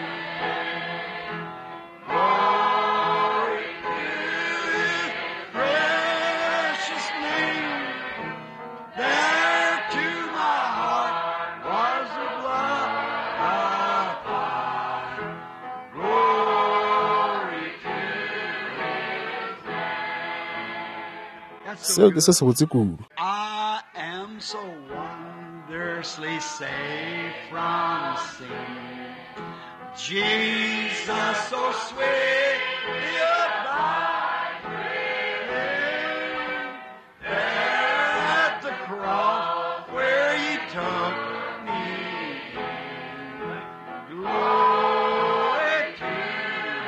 Glory to His precious name. There to my heart was the blood applied. Glory to His name. That's so Seo ke se good. se botse kudu. I am so wondrously saved from sin. Jesus so sweetly abide with him. There at the cross where he took me in. Glory to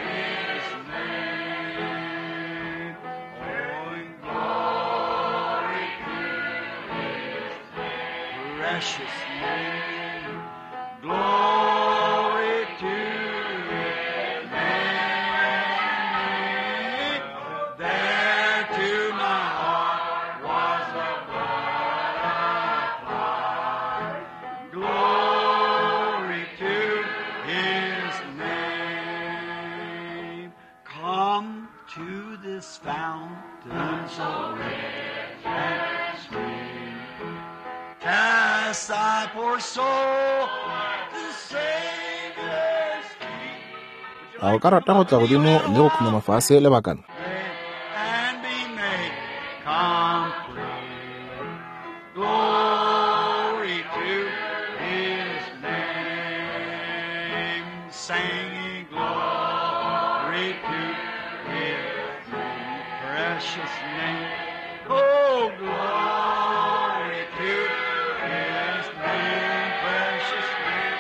his name. Oh, and glory to his precious name. Glory to his name. There to my heart was the blood applied. Glory to his name. Come to this fountain so rich and sweet. Cast thy poor soul at the Savior's feet. Would you A o like ka to rata come go up tla and kneel godimo down le go now? khunama fase lebakana? And be made complete. Glory to His name. Singing glory to His name. Precious name. Oh, glory to His name. Precious name.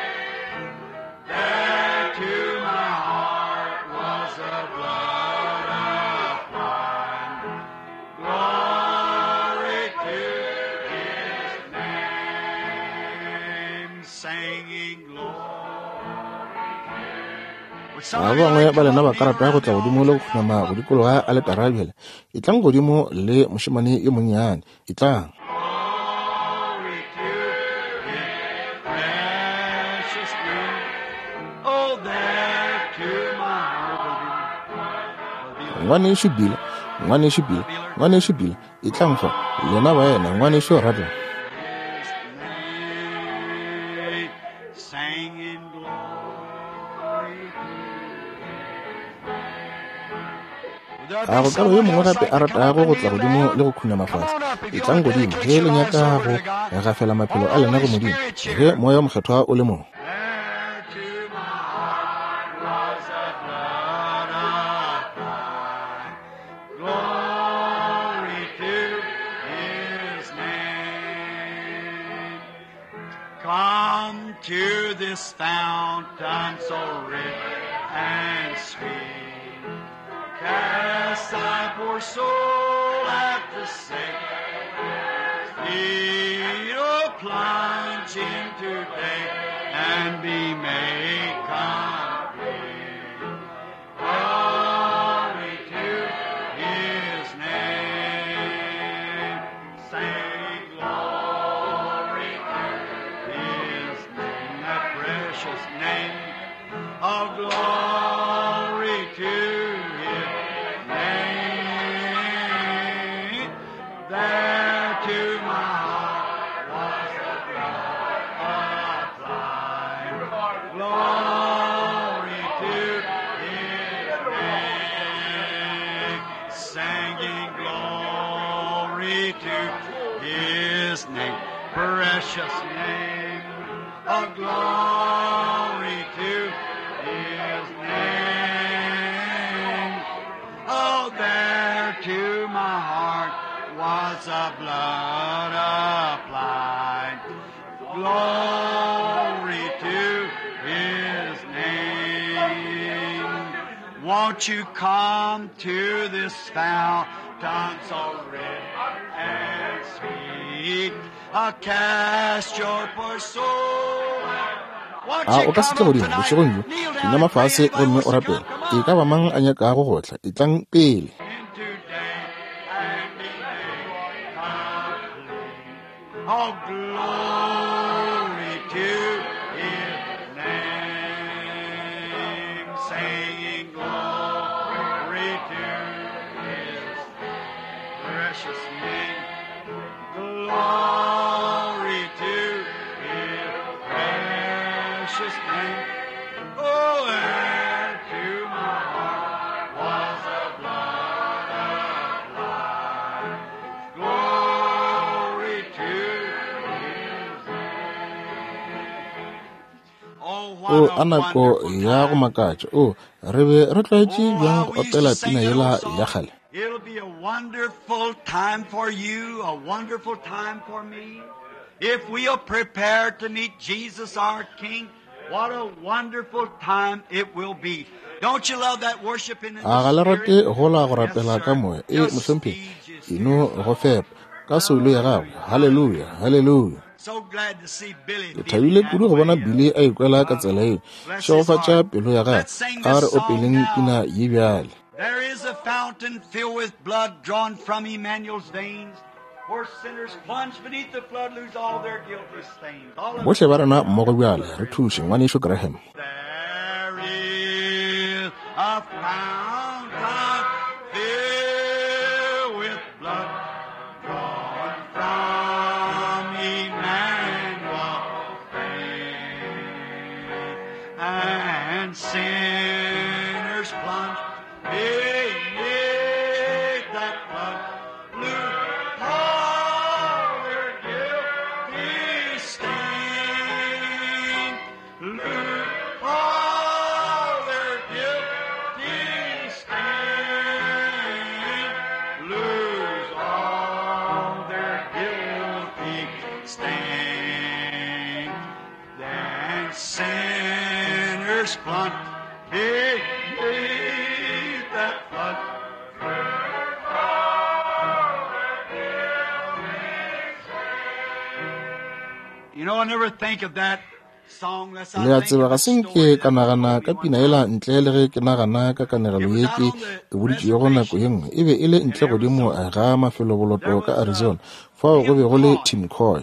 There to my heart was the blood applied. Ba bangwe ba lena ba ka rata go tla godimo le go khunama go dikologa aletara bjale. Etlang godimo le mošemane yo monnyane. Etlang. Ngwanešu Bill, Ngwanešu Bill, Ngwanešu Bill, etlang fa. Lena baena, Ngwanešu Radler. A go ka ba yo mongwe gape a ratago go tla godimo le go khunama fase? Etlang godimo ge le nyaka go gafela maphelo a lena go Modimo, ge Moya wo Mokgethwa o le mo. Come to this fountain so rich and sweet. Cast thy poor soul at the Savior's feet. Oh, plunge in today and be made complete. Glory to His name. Say glory to His name, that precious name. Oh, glory to His name. There to my heart was the blood applied. Glory to His name. Singing glory to His name, precious name. Oh, glory to His name. Oh, there to my heart was the blood applied. Glory to His name. Won't you come to this fountain so rich and sweet? Cast your poor soul. Won't A you o ka se come tle up godimo tonight? bošegong bjo, Kneel down khunama and pray. fase Anybody gomme wants o to come, rapele. come E on ka ba mang a nyakago go tla, etlang pele. in today and be made complete. Oh, glory to His name. Singing glory to His precious name. Glory to His precious name. Oh, and to my heart was the blood applied. Glory to His name. Oh, O what a a nako wonderful ya go time. makatša. O re be re tlwaetše Oh, bjang how go we used to opela sing pina that yela old ya song. kgale. It'll be a wonderful time for you, a wonderful time for me. If we'll prepare to meet Jesus our King, what a wonderful time it will be. Don't you love that worshiping in A the ga le rate Spirit? gola go Yes, rapela ka sir. moya? E Just mohlomphegi, feed your e no spirit. go fepa ka soulo ya gago. Haleluya, haleluya. So glad to see Billy Ke feeling thabile that kudu go bona way. Billy a ikwela ka tsela yeo. Bless his Šegofatša heart. pelo ya gagwe. Let's sing A this re song opeleng now. pina ye bjale. There is a fountain filled with blood drawn from Emmanuel's veins, where sinners plunge beneath the flood lose all their guilty stains. All of Bohle ba rena mmogo bjale re thuše ngwanešu Graham. There is a fountain filled with blood drawn from Emmanuel's veins, and sinners plunge beneath that flood, lose all their guilty stain. Lose all their guilty stain. Lose all their guilty stain. Then sinners plunge beneath that flood. You know, I never think of that Le a tseba, ga se nke ka nagana ka pina yela ntle le ge ke nagana ka kanegelo ye ke e boditšego nako ye nngwe. E be e le ntle godimo ga mafeloboloto ka Arizona, fao go be go le Tim Coy.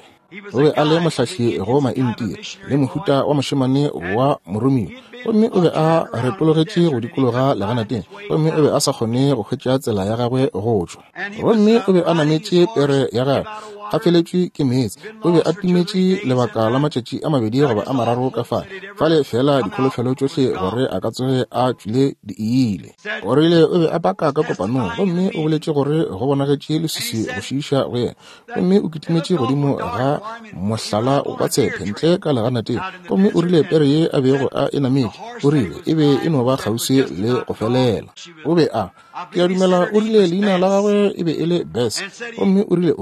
O be a le mohlahli go Maintia le mohuta wa mošemane wa moromiwa, gomme o be a retologetše go dikologa leganateng, gomme o be a sa kgone go hwetša tsela ya gagwe go tšwa. Gomme o be a nametše pere ya gagwe, a feletšwe ke meetse. O be a timetše lebaka la matšatši a mabedi goba a mararo ka fale, fale fela dikholofelo tšohle gore a ka tsoge a tšwile di ile. O rile o be a paka ka kopanong, gomme o boletše gore go bonagetše leswiswi go šiiša go yena, gomme o kitimetše godimo ga mohlala wa tshepe ntle ka leganateng, gomme o rile pere ye a bego a e nametše, o rile e be e no ba kgauswi le go felela. O be a, ke a dumela o rile leina la gagwe e be e le Bess, gomme o rile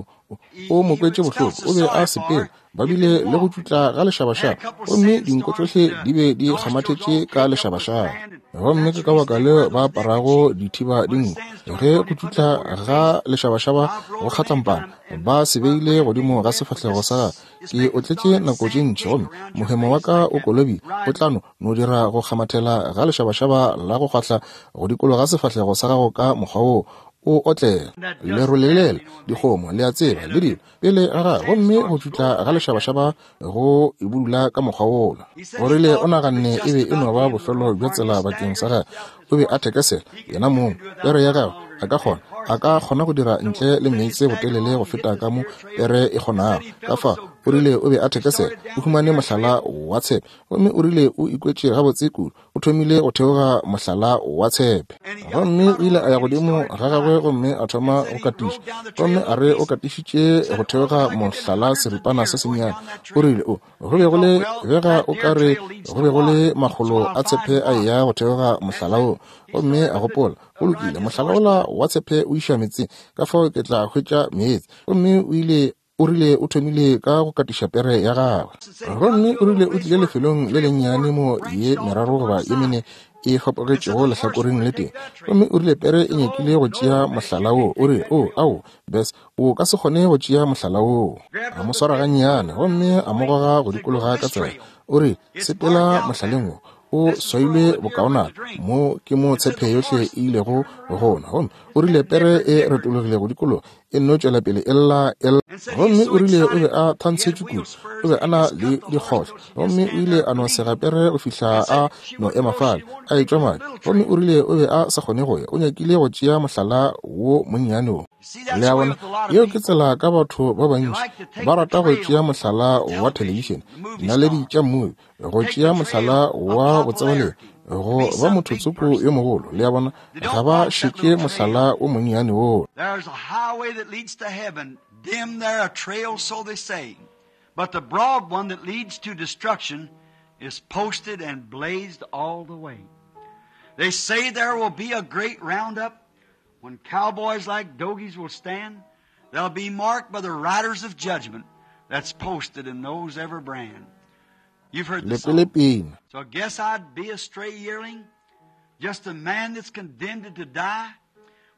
o mo kwetše bohloko. O be a sepela, ba bile le go tšutla ga lešabašaba, gomme dinko tšohle di be di kgamathetše ka lešabašaba. Gomme ke ka baka leo ba aparago dithiba dinko, ge go tšutla ga lešabašaba go kgatlampana, ba se beile godimo ga sefahlego sa gagwe. Ke otletše nako tše ntši, gomme mohemo wa ka o kolobile, o tla no dira go kgamathela ga lešabašaba la go kgwahla go dikologa sefahlego sa gago ka mokgwa woo o otlela lerole lela, dikgomo, le a tseba, le dilo pele ga gagwe, gomme go tšutla ga lešabašaba go e budula ka mokgwa wola. O rile o naganne e be e no ba bofelo bja tsela bakeng sa gagwe. O be a thekesela yena mong, pere ya gagwe, a ka kgona, a ka kgona go dira ntle le meetse botelele go feta ka mo pere e kgonago. Ka fao o rile o be a thekesela, o humane mohlala wa tshepe, gomme o rile o ikwetše gabotse kudu, o thomile go theoga mohlala wa tshepe. Gomme o ile a ya godimo ga gagwe gomme a thoma go katiša, gomme a re o katišitše go theoga mohlala seripana se sennyane. O rile o go be go le bega o ka re go be go le makgolo a tshepe a eya go theoga mohlala wo. Gomme a gopola, go lokile, mohlala wola wa tshepe o iša meetseng, ka fao ke tla hwetša meetse. Gomme o ile o rile o thomile ka go katiša pere ya gagwe, gomme o rile o tlile lefelong le lennyane mo ye meraro goba ye mene e fapogetšego lehlakoreng le tee, gomme o rile pere e nyakile go tšea mohlala wo. O rile, o, ao, Bess, o ka se kgone go tšea mohlala woo. A mo swara gannyane gomme a mo goga go dikologa ka tsela. O rile, sepela mohlaleng wo, o swailwe bokaonana, mo ke mo tshepe yohle e ilego gona. Gomme o rile pere e retologile go dikologa, e nno tšwela pele e lla, e lla. Gomme o rile o be a thantshetšwe kudu, o be a na le dikgohlo, gomme o ile a no sega pere go fihla a no ema fale, a etšwa madi. Gomme o rile o be a sa kgone go ya, o nyakile go tšea mohlala wo monnyane wo. Le a bona, yeo ke tsela ka batho ba bantši, ba rata go tšea mohlala wa thelebišene, dinaledi tša mmubi, go tšea mohlala wa botsebalegi, go ba motho tsoko yo mogolo. Le a bona, ga ba šetše mohlala o monnyane wola. There's a highway that leads to heaven, dim there a trail, so they say. But the broad one that leads to destruction is posted and blazed all the way. They say there will be a great roundup when cowboys like dogies will stand. They'll be marked by the riders of judgment that's posted in those every brand. You've heard the song. Le kwele pina. So I guess I'd be a stray yearling, just a man that's condemned to die,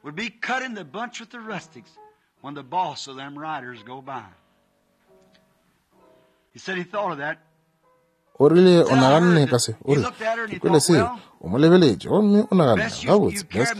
would be cut in the bunch with the rustics when the boss of them riders go by. He said he thought of that. O rile o naganne ka se, o rile, ke kwele seo, o mo lebeletše, gomme o naganne, gabotse, Bess,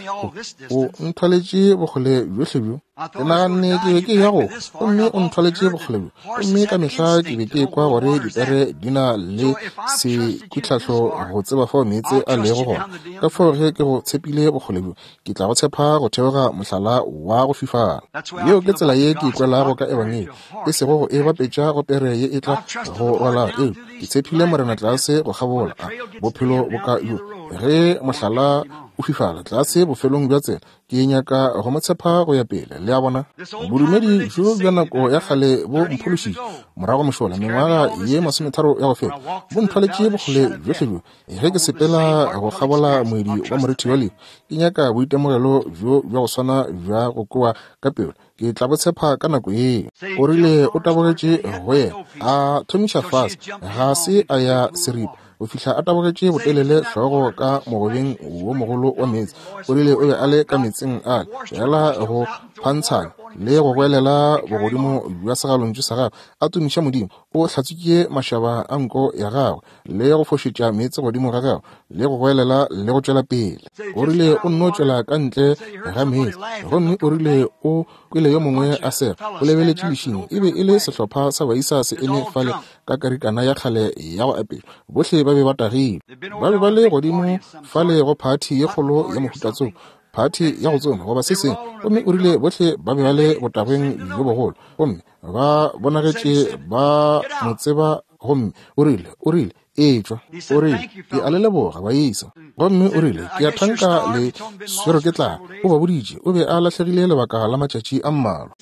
o nthwaletše bokgole bjohle bjo. Ke naganne ke be ke ya go, gomme o nthwaletše bokgole bjo. Gomme ka mehla ke be ke ekwa gore dipere di na le sekwitlhahlo go tseba fao meetse a lego gona. Ka fao ge ke go tshepile bokgole bjo, ke tla go tshepa go theoga mohlala wa go fifala. Yeo ke tsela ye ke ikwelago ka Ebangedi, e sego go e bapetša go pere ye e tla go rwala eo. Ke tshepile Morena tlase go kgabola a bophelo boka bjo. Ge mohlala o fifala tlase bofelong bja tsela, ke nyaka go mo tshepa go ya pele. Le a bona, bodumedi bjo bja nako ya kgale bo mphološitše morago mošola mengwaga ye 30 ya go feta, bo nthwaletše bokgole bjohle bjo. Ge ke sepela go kgabola moedi wa morithi wa lehu, ke nyaka boitemogelo bjo bja go swana bja go kwewa ka pelo. Ke tla bo tshepa ka nako yeo. O rile o tabogetše go yena, a thomiša fase, ga se a ya seripa go fihla a tabogetše botelele hlogo ka mogobeng wo mogolo wa meetse. O rile o be a le ka meetseng ale, fela go phantshana. le go goelela bogodimo bja segalontšu sa gagwe, a tumiša Modimo. O hlatswitše mašaba a nko ya gagwe, le go fošetša meetse godimo ga gagwe, le go goelela le go tšwela pele. O rile o nno tšwela ka ntle ga meetse, gomme o rile o kwele yo mongwe a sega. O lebeletše lešing, e be e le sehlopha sa baisa se eme fale ka karikana ya kgale ya go apešwa. Bohle ba be ba tagilwe. Ba be ba le godimo fale go phathi ye kgolo ya mohuta-tsoko, phathi ya go tsoma goba se sengwe, gomme o rile bohle ba be ba le botagweng bjo bogolo, gomme ba bonagetše ba mo tseba. Gomme o rile, o rile, etšwa. O rile, ke a le leboga, baisa. Gomme o rile, ke a thanka le swerwe ke tlala. O ba boditše o be a lahlegile lebaka la matšatši a mmalwa.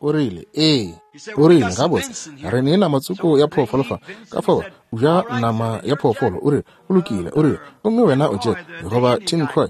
O rile, ee. O rile, gabotse, re ne nama tsoko ya phoofolo fa, ka fao o ja nama ya phoofolo. O rile, go lokile. O rile, gomme wena o Jack, goba Tim Croy,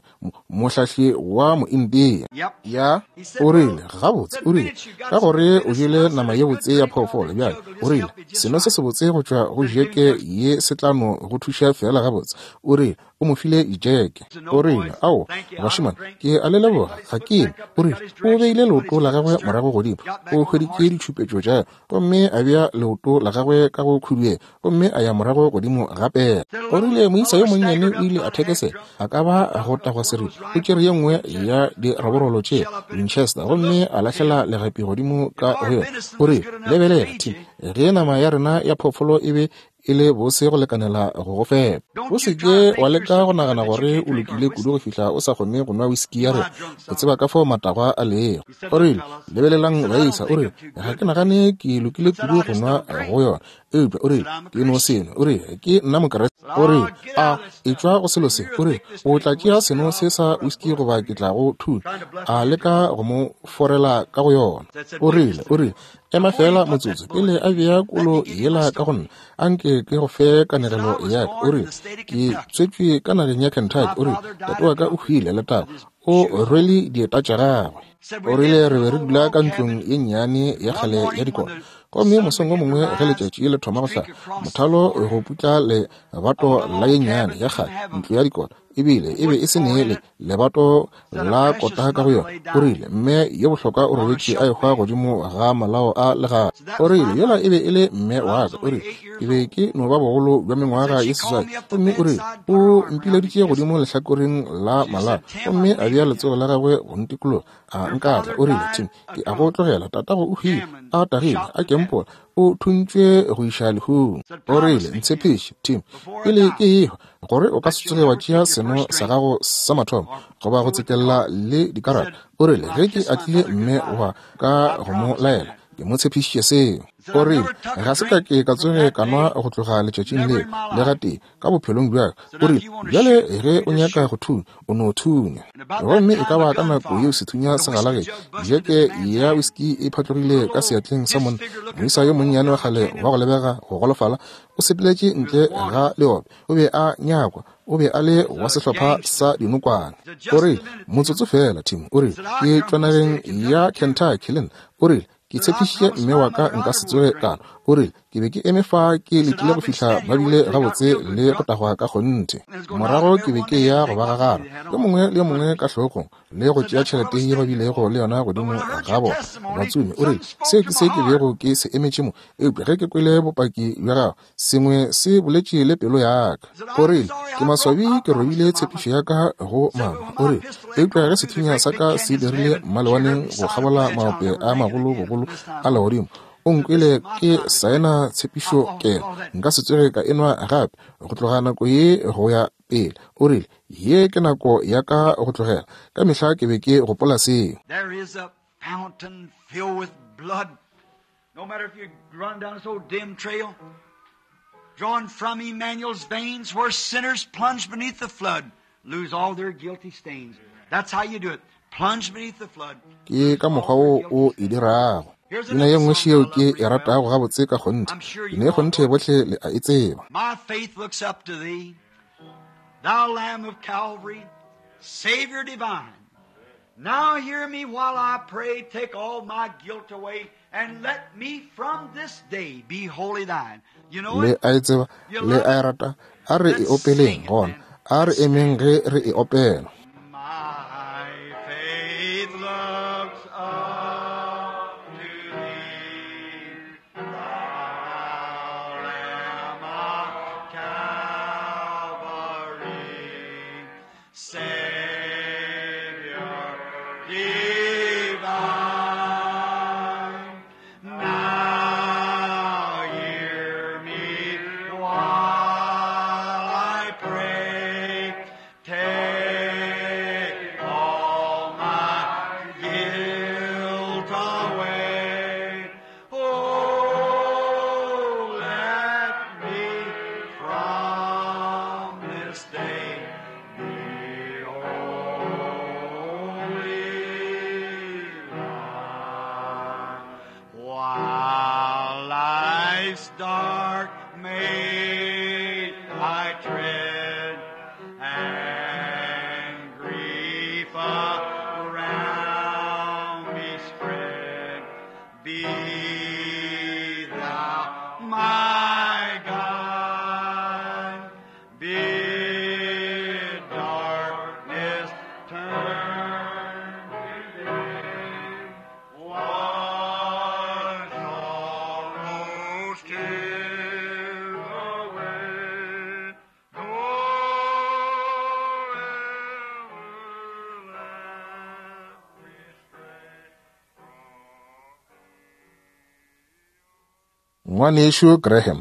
mohlahli wa Moindia. Ya. O rile, gabotse, o rile, ka gore o jele nama ye botse ya phoofolo bjale, o rile, seno se sebotse go tšwa go jeke ye se tla no go thuša feela gabotse. O rile, o mo file jeke. O rile, ao, bašemane, ke a le leboga, ga ke nwe. O rile, o beile leoto la gagwe morago godimo, o hweditše ditšhupetšo tša, gomme a bea leoto la gagwe ka go khuduela, gomme a ya morago godimo gape. O rile moisa yo monnyane o ile a thekesela, a ka ba go tagwa seripa. O tšere ye nngwe ya diraborolo tše Winchester gomme a lahlela legapi godimo ka go yona. O rile, lebelela, Tim, ge nama ya rena ya phoofolo e be e le bose go lekanela go go fepa. O se ke wa leka go nagana gore o lokile kudu go fihla o sa kgone go nwa whisky ya rena. O tseba ka fao matagwa a lego. O rile, lebelelang baisa, o rile, ga ke nagane ke lokile kudu go nwa go yona. Eupša o rile, ke no seno. O rile, ke nna Mokriste. O rile, a etšwa go selo se. O rile, o tla tšea seno se sa whisky goba ke tla go thunya. A leka go mo forela ka go yona. O rile, o rile, ema feela motsotso pele a bea kolo yela ka go nna, a nke ke go fe kanegelo ya ka. O rile, ke tswetšwe ka nageng ya Kentucky. O rile, tate wa ka o hwile, letago, o rwele dieta tša gagwe. O rile, re be re dula ka ntlong ye nnyane ya kgale ya dikota. Gomme mosong o mongwe ge letšatši le thoma go hlaba, mothalo go putla lebato la ye nnyane ya kgale ntlo ya dikota, ebile e be e se ne le lebato la kota ka go yona. O rile, mme yo bohlokwa o robetše a ehwa godimo ga malao a legae. O rile, yola e be e le mme wa ka. O rile, ke be ke no ba bogolo bja mengwaga ye 8. Gomme o rile, o mpileditše godimo lehlakoreng la malao, gomme a bea letsogo la gagwe go ntikologa, a nkatla. O rile, Tim, ke a go tlogela. Tatago o hwile, a tagile, a kempola, o thuntšwe go iša lehung. O rile, ntshepiše, Tim, pele ke ehwa, gore o ka se tsoge wa tšea seno sa gago sa mathomo goba go tsekella le dikarata. O rile, ge ke atlile mme wa ka go mo laela, ke mo tshepišitše seo. O rile, ga se ka ke ka tsoge ka nwa go tloga letšatšing leo le gatee ka bophelong bja ka. O rile, bjale ge o nyaka go thunya, o no thunya. Gomme e ka ba ka nako yeo sethunya se galagetše, jeke ya whisky e phatlogile ka seatleng sa monna. Moisa yo monnyane wa kgale wa go lebega go golofala o sepeletše ntle ga leope. O be a nyakwa, o be a le wa sehlopha sa dinokwane. O rile, motsotso feela, Tim. O rile, ke tšwa nageng ya Kentucky le nna. O rile, ke tshepišitše mme wa ka nka se tsoge ka nwa. O rile, ke be ke eme fa ke letile go fihla ba bile gabotse le go tagwa ka kgonthe. Morago ke be ke eya go ba gagara, yo mongwe le yo mongwe ka hlogong, le go tšea tšhelete ye ba bilego le yona godimo ga bona. Batsomi, o rile, seo ke se ke bego ke se emetše mo. Eupša ge ke kwele bopaki bja gago, sengwe se boletše le pelo ya ka. O rile, ke maswabi ke robile tshepišo ya ka go mama. O rile, eupša ge sethunya sa ka se dirile mmalewaneng go kgabola maope a magolo bogolo a legodimo, o nkwele ke saena tshepišo kelo, nka se tsoge ka enwa gape go tloga nako ye go ya pele. O rile, ye ke nako ya ka go tlogela. Ka mehla ke be ke gopola seo. There is a fountain filled with blood. No matter if you run down this old dim trail, drawn from Emmanuel's veins, where sinners plunge beneath the flood, lose all their guilty stains. That's how you do it. Plunge beneath the flood. Ke ka mokgwa wo o e dirago. Pina ye nngwe šeo ke e ratago gabotse ka kgonthe. Pina e kgonthe bohle le a e tseba. My faith looks up to thee, thou Lamb of Calvary, Savior divine. Now hear me while I pray, take all my guilt away, and let me from this day be wholly thine. You know Le it? a e tseba, You le love a e it? rata. A re e Let's opeleng sing it gona. then. A re Let's emeng stand. ge re e opela. My faith looks up. this day the only one. While life's dark maze I tread, and grief around me spread, be thou my guide. Bid darkness turn to day. Wash sorrows tears away. Go ever let me stray Ngwanešu Graham.